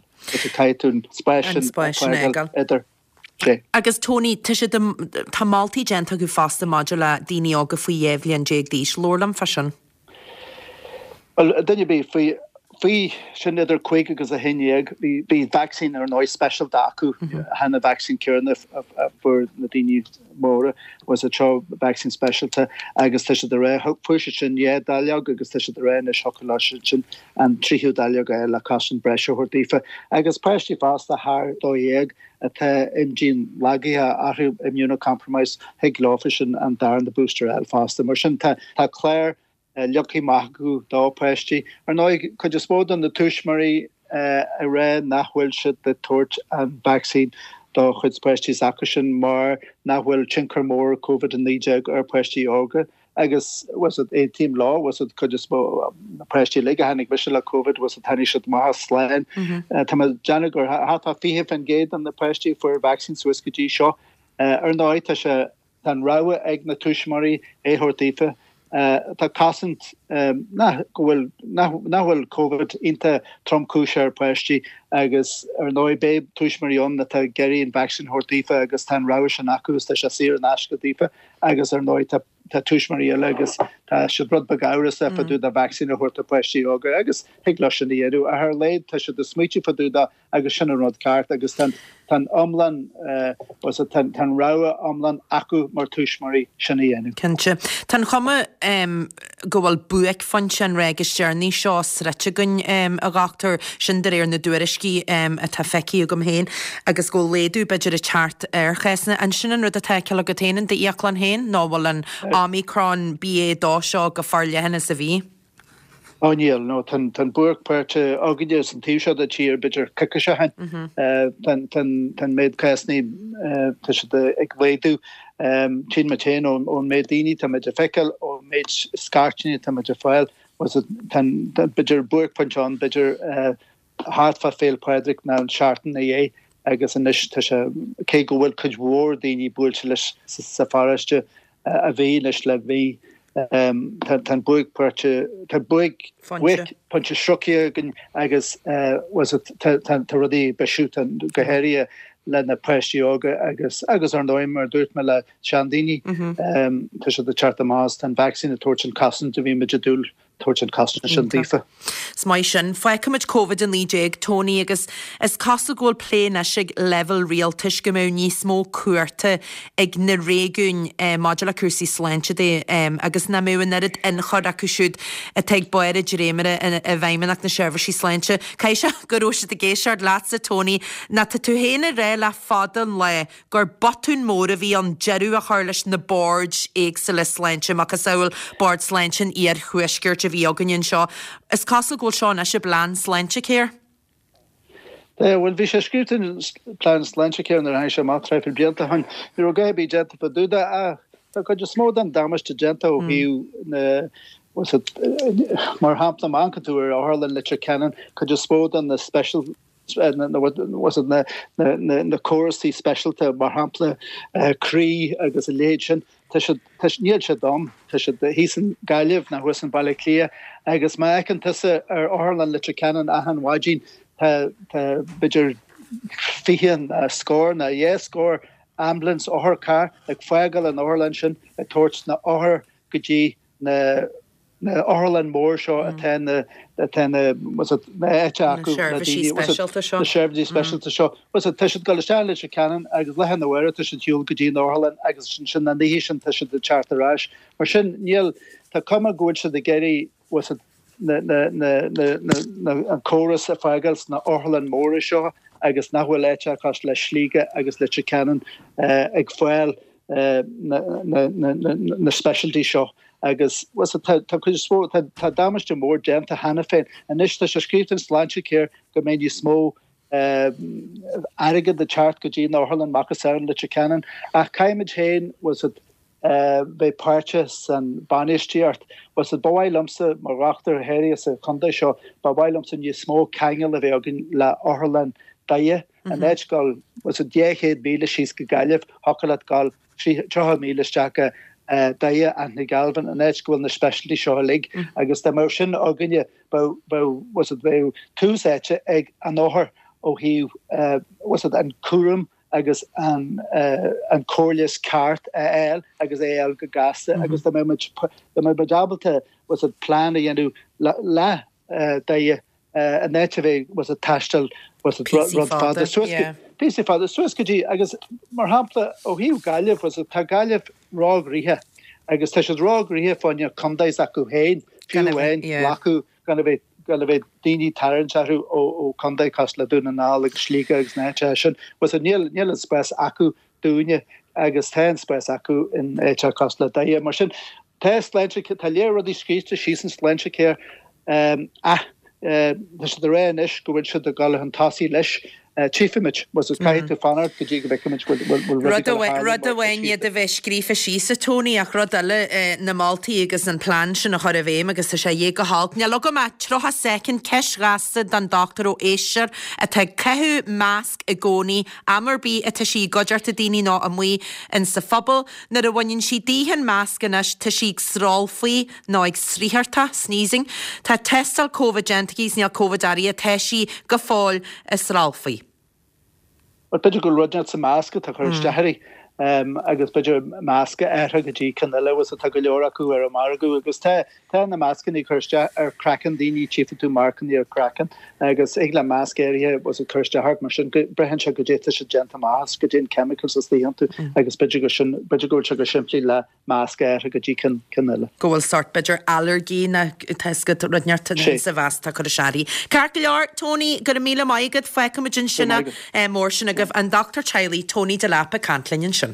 Caithfidh tú an spás sin a fhágáil idir. Sé. Agus Tony, tá siad, tá moltaí déanta acu fosta maidir le daoine óga faoi dhá bhliain déag d'aois. Labhair liom fá sin. Bhuel, duine ar bith faoi, faoi sin idir cúig agus a haon déag, bhí, bhí vacsaín ar ndóigh speisialta acu, chan an vacsaín céanna a fuair na daoine móra, bhfuil fhios a'd seo vacsaín speisialta agus tá siad ag rá, fuair siad sin dhá dáileog agus tá siad ag rá anois thiocfadh leo sin an tríú dáileog a fháil le cosaint breise a thabhairt daofa. Agus páistí fosta thar dó dhéag atá imdhíon lagaithe orthu, immunocompromised, thig leofa sin an darna booster a fháil fosta. Mar sin tá, tá clár leagtha amach acu do pháistí. Ar ndóigh, cuid is mó de na tuismitheoirí ag rá nach bhfuil siad ag tabhairt an vacsaín do chuid páistí s'acusan mar nach bhfuil tionchar mór Covid a naoi déag ar pháistí óga agus bhfuil fhios a'd, aontaím leo, bhfuil fhios a'd, cuid is mó na páistí uilig a tháinig mise le Covid, bhfuil fhios a'd, tháinig siad amach as slán. Tá mé ag déanamh gur thart fá fiche faoin gcéad de na páistí a fuair vacsaín suas go dtí seo. Ar ndóigh, tá sé Tá an rogha ag na tuismitheoirí é a thabhairt daofa. Tá cosaint nach go bhfuil nach bhfuil Covid iontach tromchúiseach ar pháistí agus ar ndóigh beidh tuismitheoirí ann atá ag iarraidh an vacsaín a thabhairt daofa agus tá an rogha sin acu agus tá sé saor in aisce daofa agus ar ndóigh tá tá tuismitheoirí eile agus tá siad rud beag amhrasach fá dtaobh de vacsaín a thabhairt do pháistí óga agus thig leo sin a dhéanamh ach ar a laghad tá siad ag smaoitiú fá dtaobh de agus sin an rud ceart agus tá an iomlán, tá an rogha iomlán acu mar tuismitheoirí sin a dhéanamh. Cinnte. Tá an chuma go bhfuil buaicphointe an ráig is deireanaí seo sroichte againn, a dhochtúir, sin de réir na dtuairiscí atá feicthe agam féin, agus go bhfuil laghdú b'fhéidir ag teacht ar chásanna. An sin an rud atá á fheiceáil agat féin in d'íoclann féin nó bhfuil an Omicron B A dó seo chomh forleathan is a bhí? Ó níl, no, tá an buaicphointe againne san taobh seo de tír b'fhéidir coicís ó shin. Tá an méid cásanna, tá siad ag laghdú. Tchíonn muid féin ón méid daoine tá muid ag feiceáil, ón méid scairteanna atá muid ag fáil, tá b'fhéidir buaicphointe ann, b'fhéidir thart fá Féile Pádraig nó an seachtain ina dhiaidh agus anois tá sé, cé go bhfuil cuid mhór daoine buailte leis sa pharóiste, a bhí anois le mí. Tá an buaicphointe, tá buaicphointe sroichte againn agus tá rudaí ag bisiú, go háirithe le na páistí óga agus agus ar ndóigh mar a dúirt mé le seandaoine, tá siad ag teacht amach as, tá an vacsaín ag tabhairt an cosaint a bhí muid ag dúil tabhairt an cosaint sin daofa. Is maith sin. Fágfaimid Covid a naoi déag, Tony, agus is cosúil go bhfuil plé anois ag leibhéal rialtais go mbeadh níos mó cumhachta ag na réigiúin maidir le cúrsaí sláinte de agus nach mbeadh an oiread ionchur acu siúd atá ag barr an dréimire i bhFeidhmeannacht na Seirbhísí Sláinte. Caithfidh sé go raibh siad ag éisteacht leatsa, Tony, nó tá tú féin ag rá le fada an lá gur botún mór a bhí ann deireadh a chur leis na boird éagsúla sláinte, macasamhail Bord Sláinte an Iarthuaiscirt a bhí againn anseo. Is cosúil go bhfuil seo anois i bplean Sláintecare. Bhuel, bhí sé scríofa in plean Sláintecare nuair a tháinig sé amach traidhfil blianta ó shin. Ní raibh a dhath ar bith déanta fá dtaobh de ach tá cuid is mó den damáiste déanta ó thaobh na mar shampla, má amharcann tú ar Otharlann Leitir Ceanainn, cuid is mó de na special na córasaí speisialta, mar shampla croí agus a leithéid sin, tá siad, níl siad ann, tá siad thíos in Gaillimh nó thuas in Baile Átha Cliath agus má fheiceann tusa ar Otharlann Leitir Ceanainn achan mhaidin tá, tá b'fhéidir fiche nó scór nó dhá scór ambulance, otharcharr ag fágáil an otharlann sin ag tabhairt na othair go dtí na na otharlann mór seo atá na atá na what's it na áite acu na seirbhísí speisialta seo. Na seirbhísí speisialta seo. What's it tá siad ag dul isteach Leitir Ceanainn agus lá arna mhárach tá siad shiúl go dtí an otharlann agus ansin an oíche sin tá siad ag teacht ar ais. Mar sin níl tá cuma go bhfuil siad ag iarraidh what's it na na na na na na an córas a fhágáil sna otharlann móra seo agus nach bhfuil áit cosúil le Sligeach agus Leitir Ceanainn ag fáil na na na na na specialty seo agus what's it tá tá cuid is mó tá tá damáiste mór déanta cheana féin. Anois tá sé scríofa in Sláintecare go mbeidh níos mó airgead ag teacht go dtí na otharlann macasamhail Leitir Ceanainn ach caithfimid féin what's it bheith páirteach san bainistíocht. What's it ba mhaith liomsa mar dhochtúir háirithe sa chontae seo ba mhaith liomsa níos mó ceangal a bheith againn le otharlann Doire in áit dul what's it dhá chéad míle síos go Gaillimh thiocfadh leat dul tríocha míle isteach go Doire Anthony Galvin an áit go bhfuil na specialty seo uilig agus dá mbeadh sin againne bheadh bheadh what's it bheadh tús áite ag an othar ó thaobh what's it an cúram agus an an cóireáil ceart a fháil agus é a fháil go gasta agus dá mbeadh muid dá mbeadh muid ábalta what's it plean a dhéanamh le Doire in áit a bheith what's it taisteal what's it rud fada suas go píosa fada suas go dtí agus mar shampla ó thaobh Gaillimh what's it tá Gaillimh róghnoitheach agus tá siad róghnoitheach fá choinne contae s'acu féin fiú amháin glacadh gan a bheith gan a bheith daoine tarraingt orthu ó ó contae cosúil le Dún na nGall agus Sligeach agus na háite sin what's it níl níl an spás acu dúinne agus tá an spás acu in áit cosúil le Doire mar sin tá sláinte tá léir rudaí scríte síos in Sláintecare ach tá siad ag rá anois go bhfuil siad ag dul chun tosaigh leis. Tchífimid, what's it caithfidh tú fanacht go dtí go bhfeicfimid bhfuil bhfuil rudaí Rud ag dul a amháin tharlú rud mar atá amháin iad scríofa. a bheith scríofa síos, a Tony, ach rud eile na moltaí agus an plean sin a chur i bhfeidhm agus tá sé dhé go holc. Níl agam ach tríocha soicind ceist ghasta don dochtúir ó éisteoir atá ag caitheamh masc i gcónaí, am ar bith atá sí i gcuideachta daoine nó amuigh in sa phobal. Nuair a bhaineann sí díthi an masc anois tá sí ag srólfaí nó ag sraothartach, sneezing. Tá tástáil Covid déanta aici is níl Covid airithe, tá sí go fóill ag srólfaí. Well b'fhéidir go bhfuil rud inteacht sa masc atá chur isteach uirthi agus b'fhéidir masc a athrú go dtí ceann eile agus tá go leor acu ar an margadh agus tá tá na mascanna ag cur isteach ar craiceann daoine tchífidh tú marcanna ar craiceann agus ag le masc áirithe was ag cur isteach ort mar sin go braitheann sé goidé tá sé déanta amach as goidé an chemicals istigh iontu agus b'fhéidir go sin b'fhéidir go bhfuil sé go simplí le masc a athrú go dtí ceann ceann eile. Go bhfuil sort b'fhéidir ailléirgí nó tá rud inteacht Sé. sa mhasc atá cur isteach uirthi. Ceart go leor, Tony, go raibh míle maith agat, fágfaimid ansin Go raibh maith é mór sin agaibh an dochtúir teaghlaigh Tony Delap ag caint linn ansin.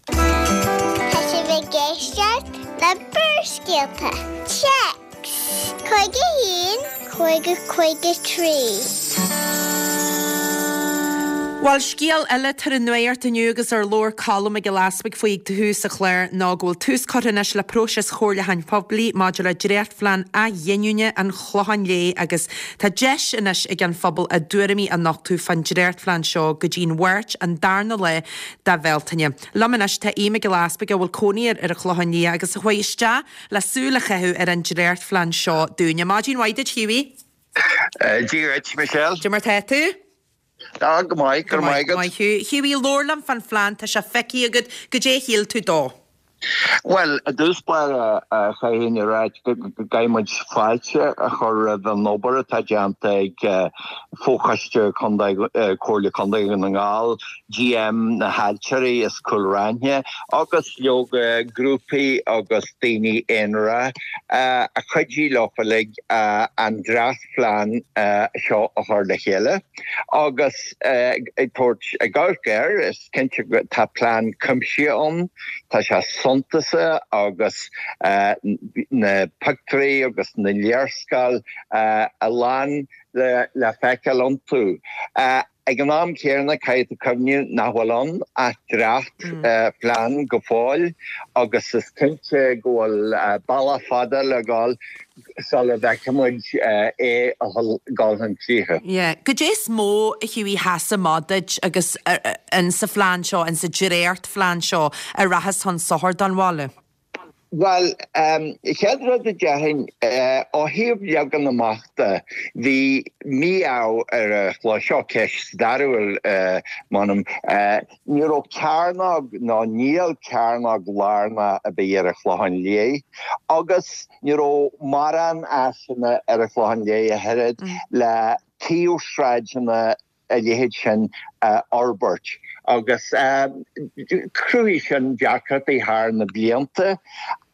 Tá sibh ag éisteacht le Barrscéalta. Téacs Cúig a haon, cúig a cúig a trí. Bhuel scéal eile tar an nuacht inniu agus ar labhair Colm Mac Giolla Easbuig faoi ag tús an chláir ná go bhfuil tús curtha anois le próiseas chomhairliúcháin phoiblí maidir le dréachtphlean athghiniúna an Chlocháin Léith agus tá deis anois ag an phobal a dtuairimí a nochtadh fán dréachtphlean seo go dtí'n Mháirt an darna lá de Bhealtaine. Liom anois tá Aodh Mac Giolla Easbuig a bhfuil cónaí air ar an Chlochán Liath agus a chuaigh isteach le súil a chaitheamh ar an dréachtphlean seo dúinne. Maidin mhaith duit Hughie? Dia duit Michelle. Cad é mar tá tú? Tá go maith go maith Maith thú. Hughie labhair liom fán phlean tá sé feicthe agat goidé a shíl tú dó. Well i dtús báire chaithfinn a rá go gcaithfimid fáilte a chur roimh an obair atá déanta ag Fochoiste Comhairle Contae na nGall, GM na hAiltirí as Cúil Raithin agus leoga grúpaí agus daoine aonair a chuidigh leo uilig an dréachtphlean seo a chur le chéile agus ag tabhairt ag amharc air is cinnte tá plean cuimsitheach ann tá sé suntasach agus na pictiúirí agus na léarscáil a lán le le feiceáil iontu. Ag an am céanna caithfidh tú cuimhneamh nach bhfuil ann ach dréacht phlean go fóill agus is cinnte go bhfuil bealach fada le gabháil sula bhfeicfimid é a ghabháil chun críche. Yeah. Goidé is mó a Hughie sheas amach duit agus in sa phlean seo, in sa dréachtphlean seo a rachas chun sochair don bhaile. Bhuel, chéad rud a déarfainn, ó thaobh leagan amach de, bhí mí-ádh ar an chló, seo ceist stairiúil, m'anam, ní raibh cearnóg nó níl cearnóg lárnach ar bith ar an Chlochán Liath agus ní raibh mórán áiseanna ar an Chlochán Liath ach oiread le taobhshráideanna a leithéid sin a fhorbairt agus chruthaigh sin deacrachtaí thar na blianta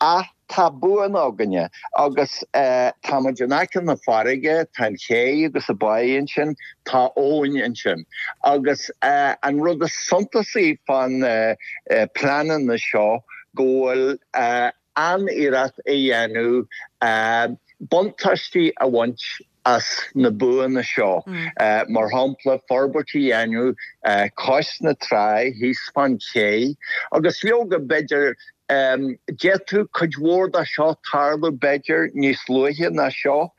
ach tá buanna againne agus tá muid in aice na farraige, tá an ché agus an báigh ansin, tá abhainn ansin agus an rud is suntasaí fán pleananna seo go bhfuil an-iarracht á dhéanamh buntáistí a bhaint as na buanna seo, mar shampla forbairt a dhéanamh cois na trá thíos fán ché agus leoga b'fhéidir d'fhéadfadh cuid mhór de seo tarlú b'fhéidir níos luaithe ná seo.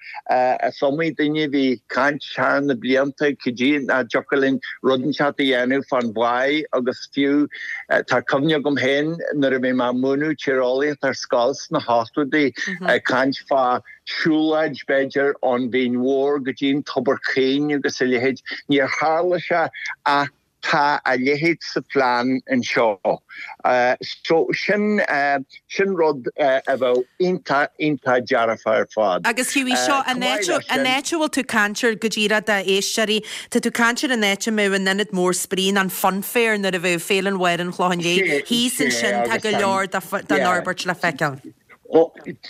Is iomaí duine a bhí ag caint thar na blianta cad é nach dtiocfadh linn rud inteacht a dhéanamh fán bháigh agus fiú tá cuimhne agam féin nuair a bhí mé ag múineadh tíreolaíocht ar scoil sna hochtóidí ag caint fá siúlóid b'fhéidir ón Bhinn Mhór go dtí an Tobar Caoin agus a leithéid. Níor tharla sé ach tá a leithéid sa phlean anseo. So sin, sin rud a bheadh iontach, iontach dearfach ar fad. Agus Hughie, seo an áit, an áit a bhfuil tú ag caint air go díreach d'éisteoirí, tá tú ag caint ar an áit a mbeadh an ionad mór spraoi nó an funfair nuair a bheadh Féile an Bháire an Chlocháin Léith, thíos ansin tá go leor den fhorbairt le feiceáil.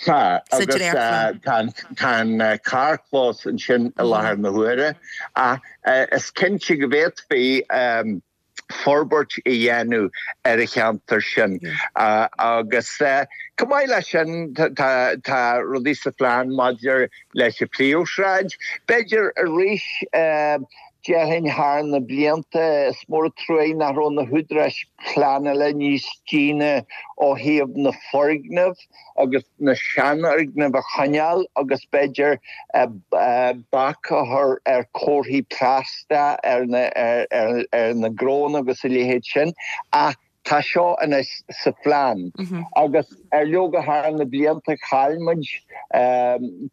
Tá, agus tá an carrchlós ansin i láthair na huaire, ach is cinnte go bhféadfaí forbairt a dhéanamh ar an cheantar sin. Agus chomh maith leis sin, tá rudaí sa phlean maidir leis an phríomhshráid. B'fhéidir arís, déarfainn thar na blianta, is mór an truaigh nach raibh na húdaráis pleanála níos déine ó thaobh na foirgnimh agus na seanfhoirgnimh a choinneáil agus b'fhéidir bac a chur ar chomharthaí plaisteach ar na gnónna agus a leithéid sin ach Tá seo anois sa phlean agus ar leoga thar na blianta chaill muid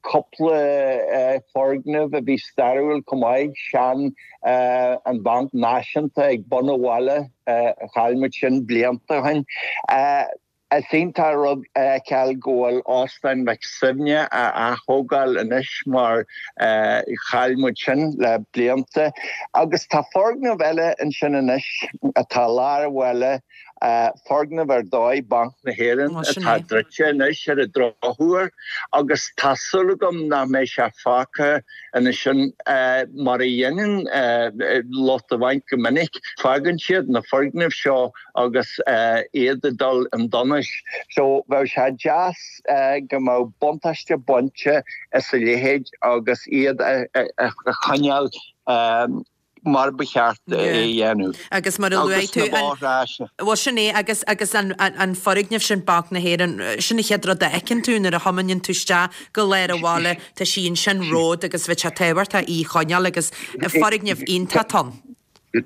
cúpla foirgneamh a bhí stairiúil chomh maith, sean an Bhanc Náisiúnta ag bun an bhaile, chaill muid sin blianta ó shin. Is iontach an rud a fheiceáil go bhfuil Óstán Mhic Suibhne á ath-thógáil anois mar chaill muid sin le blianta. Agus tá foirgneamh eile ansin anois atá i lár an bhaile, foirgneamh ar dóigh Banc na hÉireann atá druidte anois ar an drochuair agus tá súil agam nach mbeidh sé fágtha ansin mar a dhéanann lucht an bhainc go minic, fágann siad na foirgnimh seo agus iad ag dul chun donais. So bheadh sé deas go mbeadh buntáiste bainte as a leithéid agus iad a choinneáil mar ba cheart é a dhéanamh. Agus mar a luaigh tú, bhuel sin é agus agus an an foirgneamh sin Banc na hÉireann, sin an chéad rud a fheiceann tú nuair a thiomáineann tú isteach go lár an bhaile, tá sí ansin romhat agus bheadh sé tábhachtach í a choinneáil agus foirgneamh iontach ann.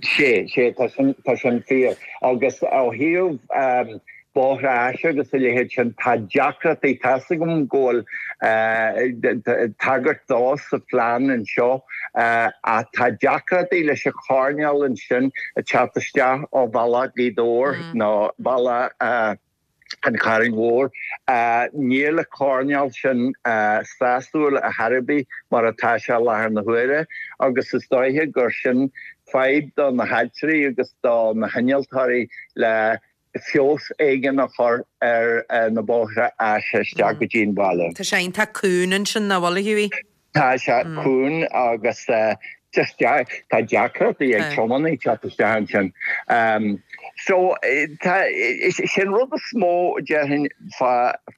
Sea, sea, tá sin, tá sin fíor. Agus ó thaobh bóithre áise agus a leithéid sin, tá deacrachtaí, tá 'fhios agam go bhfuil tagairt dó sa phlean anseo, ach tá deacrachtaí leis an choirnéal ansin ag teacht isteach ó bhealach Ghaoth Dobhair nó bealach, an Chairn Mhóir. Níl an coirnéal sin sásúil ar chor ar bith mar atá sé i láthair na huaire agus is dóiche gur sin fadhb do na hailtirí agus do na hinnealtóirí le feabhas éigin a chur ar na bóithre áise isteach go dtí an baile. Tá sé iontach cúng ansin, nach bhfuil, a Hughie? Tá sé cúng agus just tá deacrachtaí ag tiománaí teacht isteach ansin. So tá, sin rud is mó déarfainn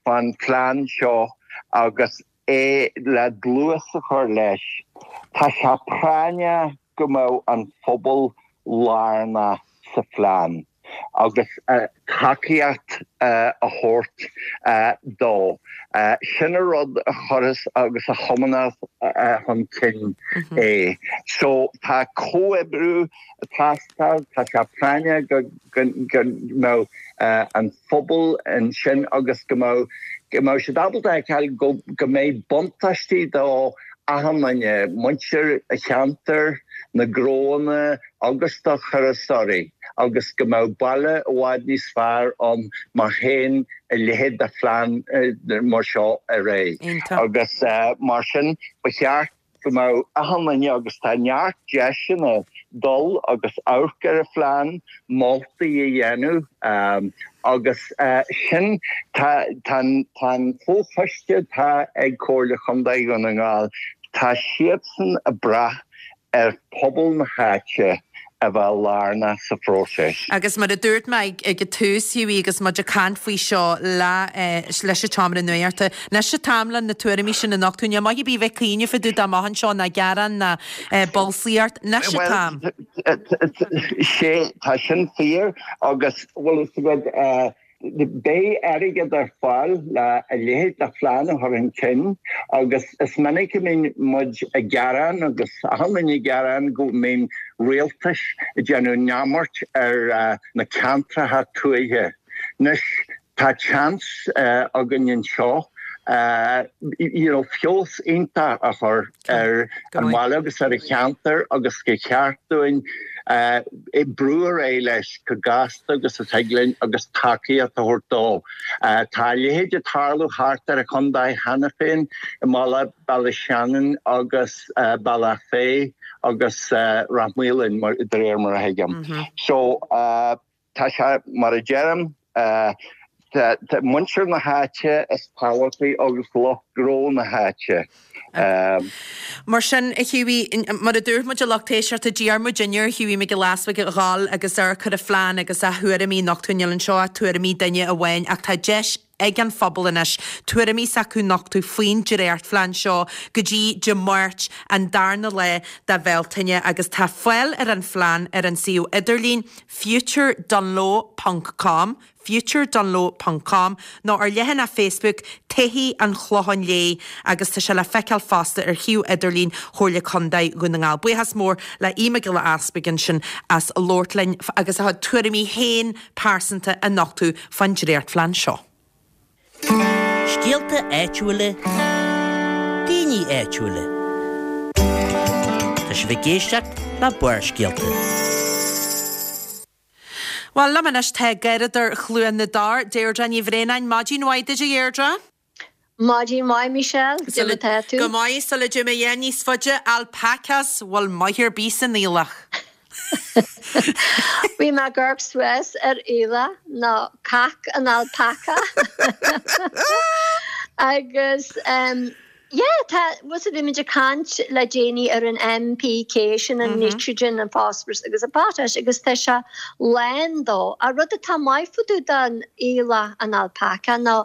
fán phlean seo agus é le dlús a chur leis, tá sé práinneach go mbeadh an phobal lárnach sa phlean. agus tacaíocht a thabhairt dó. Sin an rud a chuireas agus a thiomáineas chun cinn é. So tá comhoibriú ag teastáil, tá sé práinneach go mbeadh an phobal ansin agus go mbeadh go mbeadh siad ábalta a fheiceáil go go mbeidh buntáistí do achan duine, muintir an cheantair, na gnóanna agus do thurasóirí agus go mbeadh baile i bhfad níos fearr ann má théann a leithéid de phlean mar seo ar aghaidh. Agus mar sin ba cheart go mbeadh achan duine agus tá neart deiseanna dul agus amharc ar an phlean, moltaí a dhéanamh agus sin tá tá an comhchoiste atá ag Comhairle Chontae Dhún na nGall, tá siadsan ag brath ar phobal na háite a bheith lárnach sa phróiseas. Agus mar a dúirt mé ag an tús, Hughie, agus muid ag caint faoi seo le leis an tseomra nuachta, anois an t-am le na tuairimí sin a nochtadh. Níl maith ar bith a bheith ag cuimhneamh fá dtaobh de amach anseo ná gearán ná bolscaíocht. Anois an t-am. Bhuel, sé, tá sin fíor agus, bhfuil fhios agat, Beidh airgead ar fáil le a leithéid de phlean a chur chun cinn agus is minic a mbíonn muid ag gearán agus achan duine ag gearán go mbíonn rialtais ag déanamh neamart ar na ceantracha tuaithe. Anois tá seans againn anseo you know feabhas iontach a chur ar an bhaile agus ar an cheantar agus gur cheart dúinn brú ar aghaidh leis chomh gasta agus a thig linn agus tacaíocht a thabhairt dó. Tá a leithéid ag tarlú thart ar an chontae cheana féin i mBaile Ballyshannon agus Bealach Féich agus Rath Maoláin de réir mar a thuigim. So tá sé mar a deirim, muintir na háite is tábhachtaí agus lucht gnó na háite. Mar sin, a Hughie, mar a dúirt muid a lucht éisteachta, d'iarr muidinne ar Hughie Mac Giolla Easbuig a dhul agus amharc ar an phlean agus a thuairimí a nochtadh. Níl anseo ach tuairimí duine amháin ach tá deis ag an phobal anois tuairimí s'acu nochtadh faoin dréachtphlean seo go dtí Dé Máirt an darna lá de Bhealtaine agus tá fáil ar an phlean ar an suíomh idirlín futuredunloe ponc com. futuredunloe ponc com nó ar leathanach Facebook Todhchaí an Chlocháin Léith agus tá sé le feiceáil fosta ar shuíomh idirlín Chomhairle Contae Dhún na nGall. Buíochas mór le Aodh Mac Giolla Easbuig ansin as labhairt linn agus a chuid tuairimí féin pearsanta a nochtadh fán dréachtphlean seo. Scéalta áitiúla, daoine áitiúla. Tá sibh ag éisteacht le Barrscéalta. Bhuel, liom anois tá Garradóir Chluain na dTor, Deirdre Ní Bhraonáin. Maidin mhaith duit, a Dheirdre. Maidin mhaith, Michelle. Cad é mar atá tú? Go maith, sula dtéim a dhath níos faide, alpacas, bhfuil maith ar bith san aoileach? Bhí mé ag amharc suas ar aoileach nó cac an alpaca agus yeah tá bhfuil fhios agat bhí muid ag caint le déanaí ar an NPK sin an nitrogen an phosphorus agus an potash agus tá sé lán dó. An rud atá maith fá dtaobh den aoileach an alpaca ná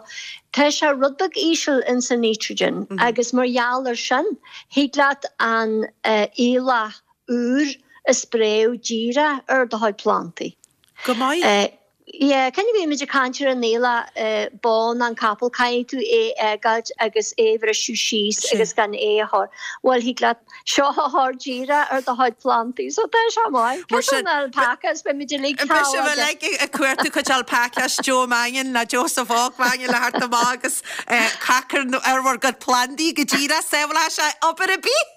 tá sé rud beag íseal ins an nitrogen agus mar gheall ar sin thig leat an aoileach úr a spréadh díreach ar do chuid plandaí. Go maith. Yeah, cén bhí muid ag caint ar an aoileach bán an capall, caithfidh tú é a fhágáilt agus é a bhriseadh síos agus gan é a chur, bhuel thig leat seo a chur díreach ar do chuid plandaí, so tá sé maith. Mar sin, Cé an alpacas, beidh muid uilig Beidh sibh uilig ag cuartú cuid alpacas, Joe Mannion nó Joseph Óg Mannion le theacht amach agus cac ar bhur gcuid plandaí go díreach, sábhálfaidh sé obair ar bith!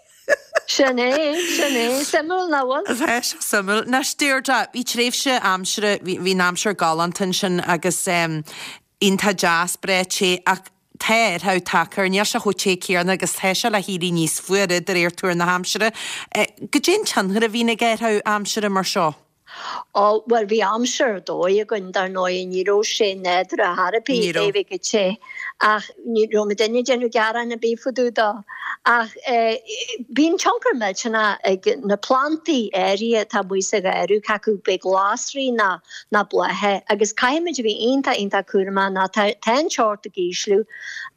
Sin é, sin é. Suimiúil, nach bhfuil? Tá sé suimiúil. Anois, Deirdre, bhí tréimhse aimsire, bhí, bhí an aimsir galánta ansin agus iontach deas, breá te ach tá athrú tagtha air, níl sé chomh te céanna agus tá sé le héirí níos fuaire de réir tuar na haimsire. Goidé an tionchar a bhíonn ag athrú aimsire mar seo? Ó, bhuel, bhí aimsir ar dóigh againn, dar ndóigh, ní raibh sé nádúrtha ar chor ar bith Ní é raibh. bheith chomh te, ach ní raibh muidinne ag déanamh gearán ar bith fá dtaobh dó. Ach eh, bíonn tionchar millteanach ag na plandaí áirithe atá amuigh sa gharradh, cé acu b'é glasraí ná ná blátha, agus caithfimid a bheith iontach iontach cúramach ná tá tá an teocht ag ísliú,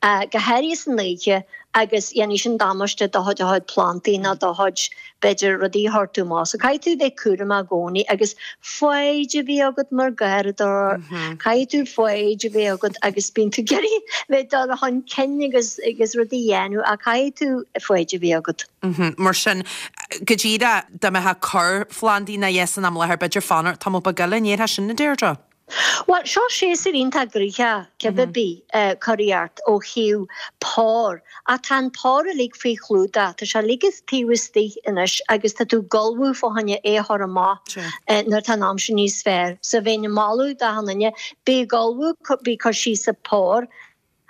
eh, go háirithe san oíche, agus dhéanfaidh sin damáiste do do chuid plantaí nó do chuid b'fhéidir rudaí a chuir tú amach. So caithfidh tú bheith cúramach i gcónaí agus foighid a bheith agat mar gharradóir. Caithfidh tú foighid a bheith agat agus bíonn tú ag iarraidh bheith dul chun cinn agus agus rudaí a dhéanamh ach caithfidh tú foighid a bheith agat. Mar sin, go díreach dá mbeifeá ag cur phlandaí ná yes san am i láthair b'fhéidir fanacht tamall beag eile, an ndéarfá sin a Deirdre? Bhuel, seo séasúr iontach gnoitheach, cibé bith, curaíocht ó thaobh pór, ach tá an pór uilig faoi chlúdach, tá sé uilig taobh istigh anois agus tá tú ag ullmhú fá choinne é a chur amach nuair atá an aimsir níos fearr. So bheinn ag moladh d'achan duine, bí ag ullmhú, bí ag cur síos an pór,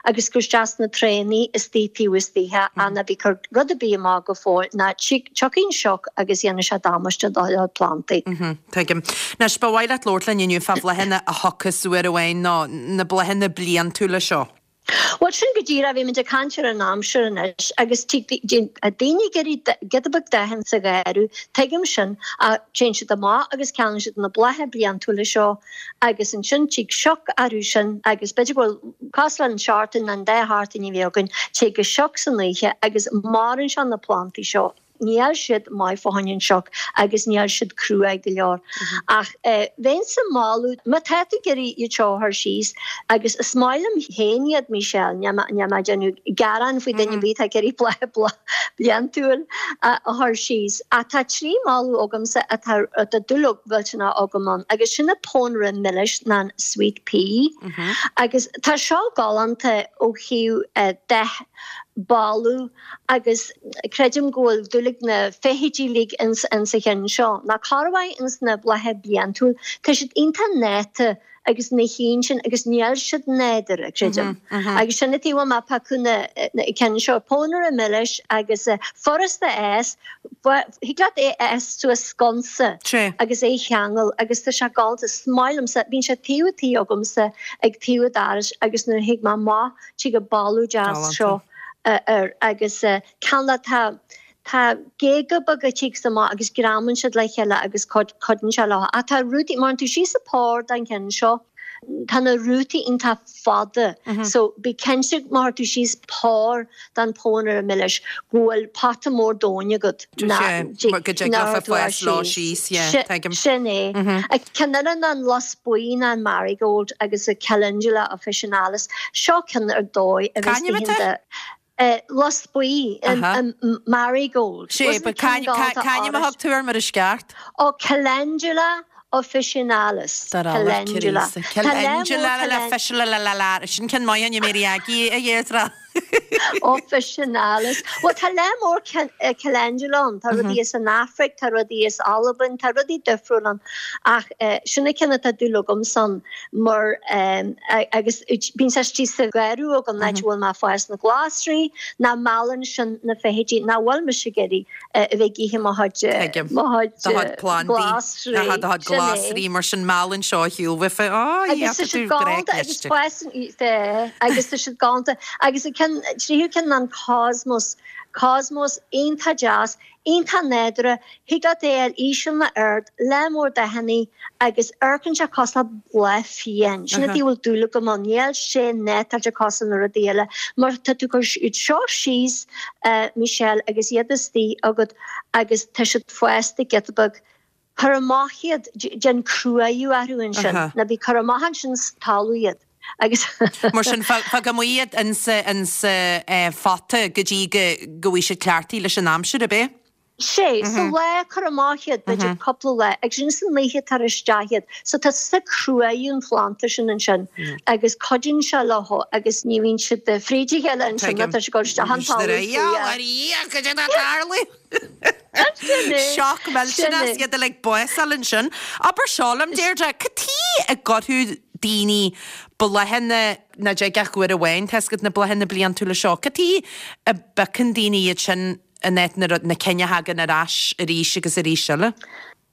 agus cur isteach sna traenaí istigh taobh istigh ach ná bí ag cur rud ar bith amach go fóill ná tiocfaidh an sioc agus dhéanfaidh sé damáiste do do phlandaí. Tuigim. Anois, ba mhaith leat labhairt linn inniu fá bhláthanna a thiocfas uair amháin nó na bláthanna bliantúla seo. Bhuel, sin go díreach, bhí muid ag caint ar an aimsir anois agus daoine ag iarraidh giota beag dathanna sa gharradh, tuigim sin, ach téann siad amach agus ceannaíonn siad na blátha bliantúla seo agus ansin tig sioc orthu sin agus b'fhéidir go bhfuil cosúil le an seachtain nó an dá sheachtain a bhí againn, tig an sioc san oíche agus maraíonn sé na plantaí seo. Níl siad maith fá choinne an sioc agus níl siad cruaidh go leor. Ach bheinnse ag moladh, má tá tú ag iarraidh iad seo a chur síos, agus is maith liom féin iad, Michelle, níl mé ag déanamh gearán faoi duine ar bith atá ag iarraidh bláth bliantúil a chur síos, ach tá trí mholadh agamsa atá atá dúil mhillteanach agam ann, agus sin an pónaire milis ná an sweet pea. Agus tá seo galánta ó thaobh dath, boladh agus creidim go bhfuil dúil ag na feithidí uilig ins ins an cheann seo. Ná corruair ins na blátha bliantúil, tá siad iontach néata agus na chinn sin agus níl siad nádúrtha, creidim. Agus sin an tuige a bhfuil mé ag piocadh na na cinn seo, pónaire milis agus furasta a fhás, thig leat é a fhás suas sconsa agus é a cheangal agus tá sé galánta. Is maith liomsa, bíonn sé taobh an tí agamsa ag taobh an dorais agus nuair a thig mé amach tig an boladh deas seo air agus ceann le tá tá géaga beaga a thigeas amach agus greamaíonn siad le chéile agus cuidíonn sé leo. Ach tá rútaí, má fhaigheann tú síos an pór den cheann seo, tá na rútaí iontach fada so bí cinnte má chuir tú síos pór den pónaire milis go bhfuil pota mór domhain agat go dtig leofa fás leo síos, yeah, tuigim. Sin é. Ceann eile ná an lus buí ná an marigold agus an calendula officinalis. Seo ceann ar dóigh a bheas C'ainm atá? Lus buí, an marigold. Sé, but c'ainm a thug tú air mar is ceart? Ó, calendula officinalis. Calendula. Calendula officinalis. Sin ceann maith a Mary Aggie a Dheirdre. Officinalis. Bhuel, tá lear mór calendula ann. Tá rudaí as an Afraic, tá rudaí as Albain, tá rudaí difriúil ann. Ach sin an ceann atá dúil agamsa ann mar agus bíonn sé istigh sa gharradh agam, an áit a bhfuil mé ag fás na glasraí, ná meallann sin na feithidí, nach bhfuil mise ag iarraidh a bheith ag ithe mo chuid, mo chuid Do chuid plandaí. glasraí. Aha, do chuid Sin é. glasraí, mar sin meallann seo ar shiúl uafa. Á, Agus tá tá siad tú breá galánta agus cliste. fásann, agus tá siad galánta agus an ceann, tríú ceann ná an cosmos, cosmos iontach deas, iontach nádúrtha, thig leat é a fháil íseal nó ard, lear mór dathannaí agus amharcann sé cosúil le bláth fiáin. Sin an tuige a bhfuil dúil agam ann, níl sé néatáilte cosúil na rudaí eile mar tá tú ag cur iad seo síos, Michelle, agus iad istigh agat agus tá siad fásta giota beag. Cuir amach iad, déan cruadhú orthu ansin, ná bí ag cur amach ansin sa talamh iad agus. Mar sin, fág amuigh iad insa, insa phota go dtí go, go bhfaighidh siad cleachtaithe leis an aimsir, ab é? Sé, sa lá, cuir amach iad, b'fhéidir cúpla lá, agus ansin san oíche tar isteach iad. So tá tú ag cruadhú an phlanda sin ansin agus cuidíonn sé leo agus ní bhíonn siad fríd a chéile ansin, tá siad ag dul isteach an talamh faoi. Cad é atá ag tarlú? Sioc millteanach iad uilig básáil ansin. Abair seo liom, Deirdre, cad tuige a gcuirfeadh daoine bláthanna nach dtig ach uair amháin, tá a fhios agat na bláthanna bliantúla seo, cad tuige a bpiocann daoine iad sin in áit na na cinn a thagann ar ais arís agus arís eile?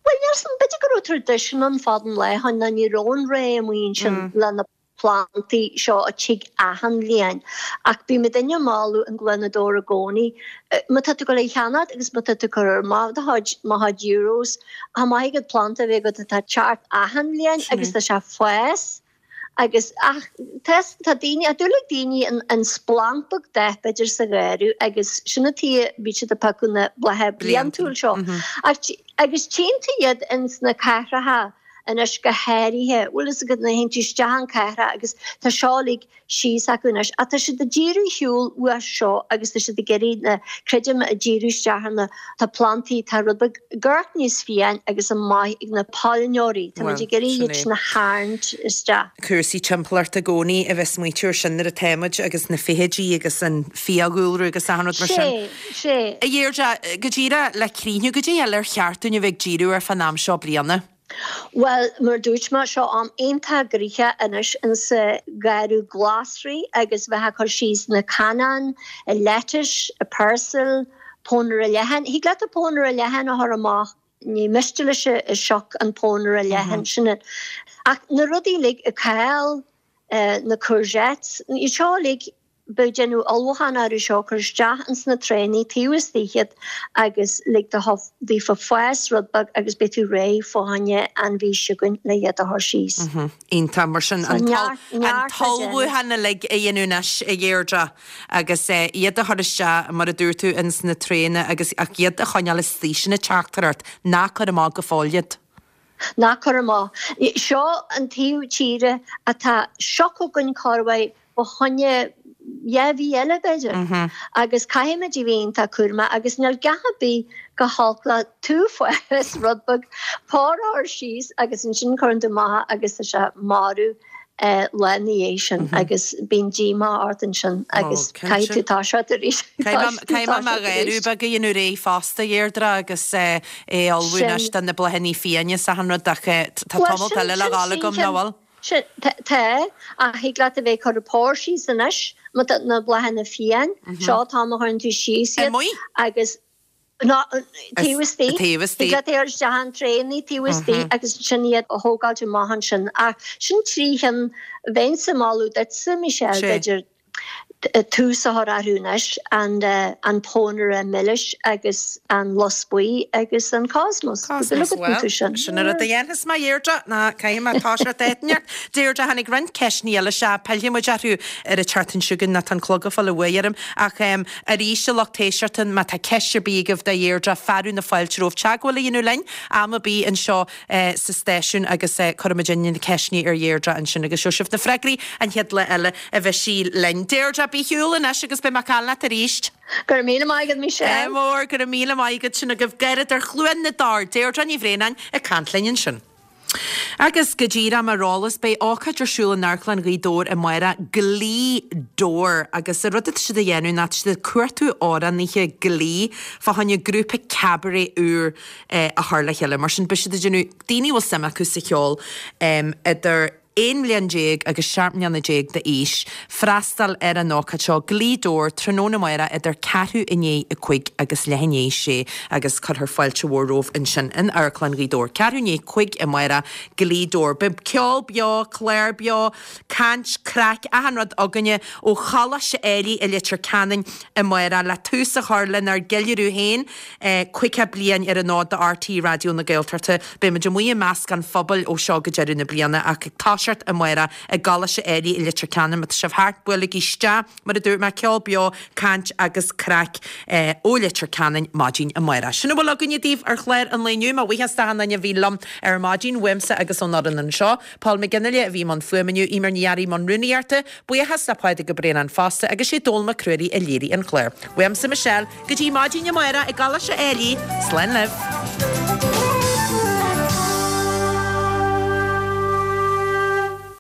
Bhuel, níl 's a'm, b'fhéidir go raibh traidisiún ann fad an lae ó shin ná ní raibh an rogha amuigh ansin le na plantaí seo a tig achan bhliain. Ach bíonn muidinne ag moladh an gloinedóir i gcónaí. Má tá tú ag dul é cheannacht agus má tá tú ag cur amach do chuid, mo chuid euros, chomh maith agat planda a bheith agat atá ag teacht achan bhliain agus tá sé ag fás Agus ach tá tá daoine a dúil ag daoine an an splanc beag dath b'fhéidir sa gheimhreadh agus sin an tuige bíonn siad ag piocadh na blátha bliantúil seo. Ach agus tchíonn tú iad ins na cathracha anois go háirithe, bhfuil fhios agat nuair a théann tú isteach an cathrach agus tá seo uilig síos acu anois ach tá siad ag díriú ar shiúl uaidh seo agus tá siad ag iarraidh na, creidim, ag díriú isteach ar na, tá plantaí, tá rud beag gort níos fiáin agus an maith ag na pailneoirí, tá muid ag iarraidh iad sin a tharraingt isteach. Cúrsaí timpeallachta i gcónaí a bheith smaoitiú ar sin nuair atá muid agus na feithidí agus an fiadhúlra agus achan rud mar sin. Sé, sé. A Dheirdre, go díreach le críochnú, goidé eile ar cheart dúinn a bheith ag díriú air fán am seo bliana? Bhuel, mar dúirt mé, seo am iontach gnoitheach anois insa gharradh glasraí agus bheith ag cur síos na cannáin, lettuce, peirsil, pónaire leathan. Thig leat an pónaire leathan a chur amach, ní miste leis an sioc an pónaire leathan sin. Ach na rudaí uilig, an cál, na courgettes, iad seo uilig, Bheadh déanamh ullmhúchán orthu seo, cur isteach ins na traenaí taobh istigh iad agus lig daofa fás rud beag agus beidh tú réidh fá choinne an mhí seo chugainn le iad a chur síos. Iontach, mar sin an t-ullmhúchán uilig a dhéanamh anois, a Dheirdre, agus iad a chur isteach, mar a dúirt tú, ins na traenaí agus ach iad a choinneáil istigh, sin an teachtaireacht, ná cuir amach go fóill iad. Ná cuir amach. Seo an taobh tíre atá sioc againn corruair fá choinne dhá mhí eile b'fhéidir. Agus caithfimid a bheith iontach cúramach agus níl a dhath ar bith chomh holc le tú fás rud beag pór a chur síos agus ansin cuireann tú amach agus tá sé marbh lá ina dhiaidh sin agus bíonn díomá ort ansin agus caithfidh tú toiseacht arís. Caithfidh mé mo gharradh beag a dhéanamh réidh fosta, a Dheirdre, agus é a ullmhú anois do na bláthanna fiáine is achan rud ach tá tamalt eile le dhul agam, nach bhfuil? Sin, tá, ach thig leat a bheith ag cur an pór síos anois, má tá na bláthanna fiáin, seo an t-am a chuireann tú síos iad agus Ná, taobh istigh. Taobh istigh. Thig leat é a chur isteach in traenaí taobh istigh agus ansin iad a thógáilt amach ansin. Ach sin trí chinn bheinnse ag moladh duitse, Michelle, b'fhéidir tús a chur orthu anois, an an pónaire milis agus an lus buí agus an cosmos. Cosmos, bhuel, sin an rud a dhéanfas mé, a Dheirdre, ná caithfidh mé toiseacht áit inteacht. Deirdre, tháinig roinnt ceisteanna eile isteach, pillfidh muid orthu ar an tseachtain seo chugainn, nó tá an clog ag fáil uaidh orm. Ach arís, a lucht éisteachta, má tá ceist ar bith agaibh do Dheirdre, fearadh na fáilte romhaibh teagmháil a dhéanamh linn am ar bith anseo sa stáisiún agus cuirfimid na ceisteanna ar Dheirdre ansin agus gheobhaidh sibh na freagraí an chéad lá eile a bheidh sí linn. Deirdre, bí ar shiúl anois agus beidh mé ag caint leat arís. Go raibh míle maith agat, Michelle. Ádh mór, go raibh míle maith agat. Sin agaibh Garradóir Chluain na dTor, Deirdre Ní Bhraonáin ag caint linn ansin. Agus go díreach mar eolas, beidh ócáid ar siúl in Amharclann Ghaoth Dobhair amárach, Glee Dobhar, agus an rud atá siad a dhéanamh ná tá siad ag cuartú amhránaithe Glee fá choinne grúpa cabaret úr a chur le chéile. Mar sin, beidh siad ag déanamh, daoine a bhfuil suim acu sa cheol, idir aon bhliain déag agus seacht mbliana déag d'aois, freastal ar an ócáid seo, Glee Dobhar, tráthnóna amárach idir ceathrú i ndiaidh a cúig agus leath i ndiaidh a sé agus cuirfear fáilte mhór romhaibh ansin in Amharclann Ghaoth Dobhair. Ceathrú i ndiaidh a cúig amárach, Glee Dobhar. Beidh ceol beo, clár beo, caint, craic, achan rud againne ó Choláiste Ailigh i Leitir Ceanainn amárach le tús a chur lenár gceiliúradh féin, caoga bliain ar an fhód do RTÉ Raidió na Gaeltachta. Beidh muid amuigh i measc an phobail ó seo go deireadh na bliana ach ag toiseacht amárach i gColáiste Ailigh i Leitir Ceanainn. Má tá sibh thart, buailigí isteach, mar a dúirt mé, ceol beo, caint agus craic ó Leitir Ceanainn maidin amárach. Sin a bhfuil againne daoibh ar chlár an lae inniu. Mo bhuíochas d'achan duine a bhí liom ar maidin, uaimse agus ón fhoireann anseo. Paul McGinley a bhí i mbun fuaime inniu, Eimear Ní Fhearraigh i mbun rúnaíochta. Buíochas le Pádraig Ó Braonáin fosta agus sé Dónall Mac Ruairí a léirigh an clár. Uaimse Michelle, go dtí maidin amárach i gColáiste Ailigh, slán libh!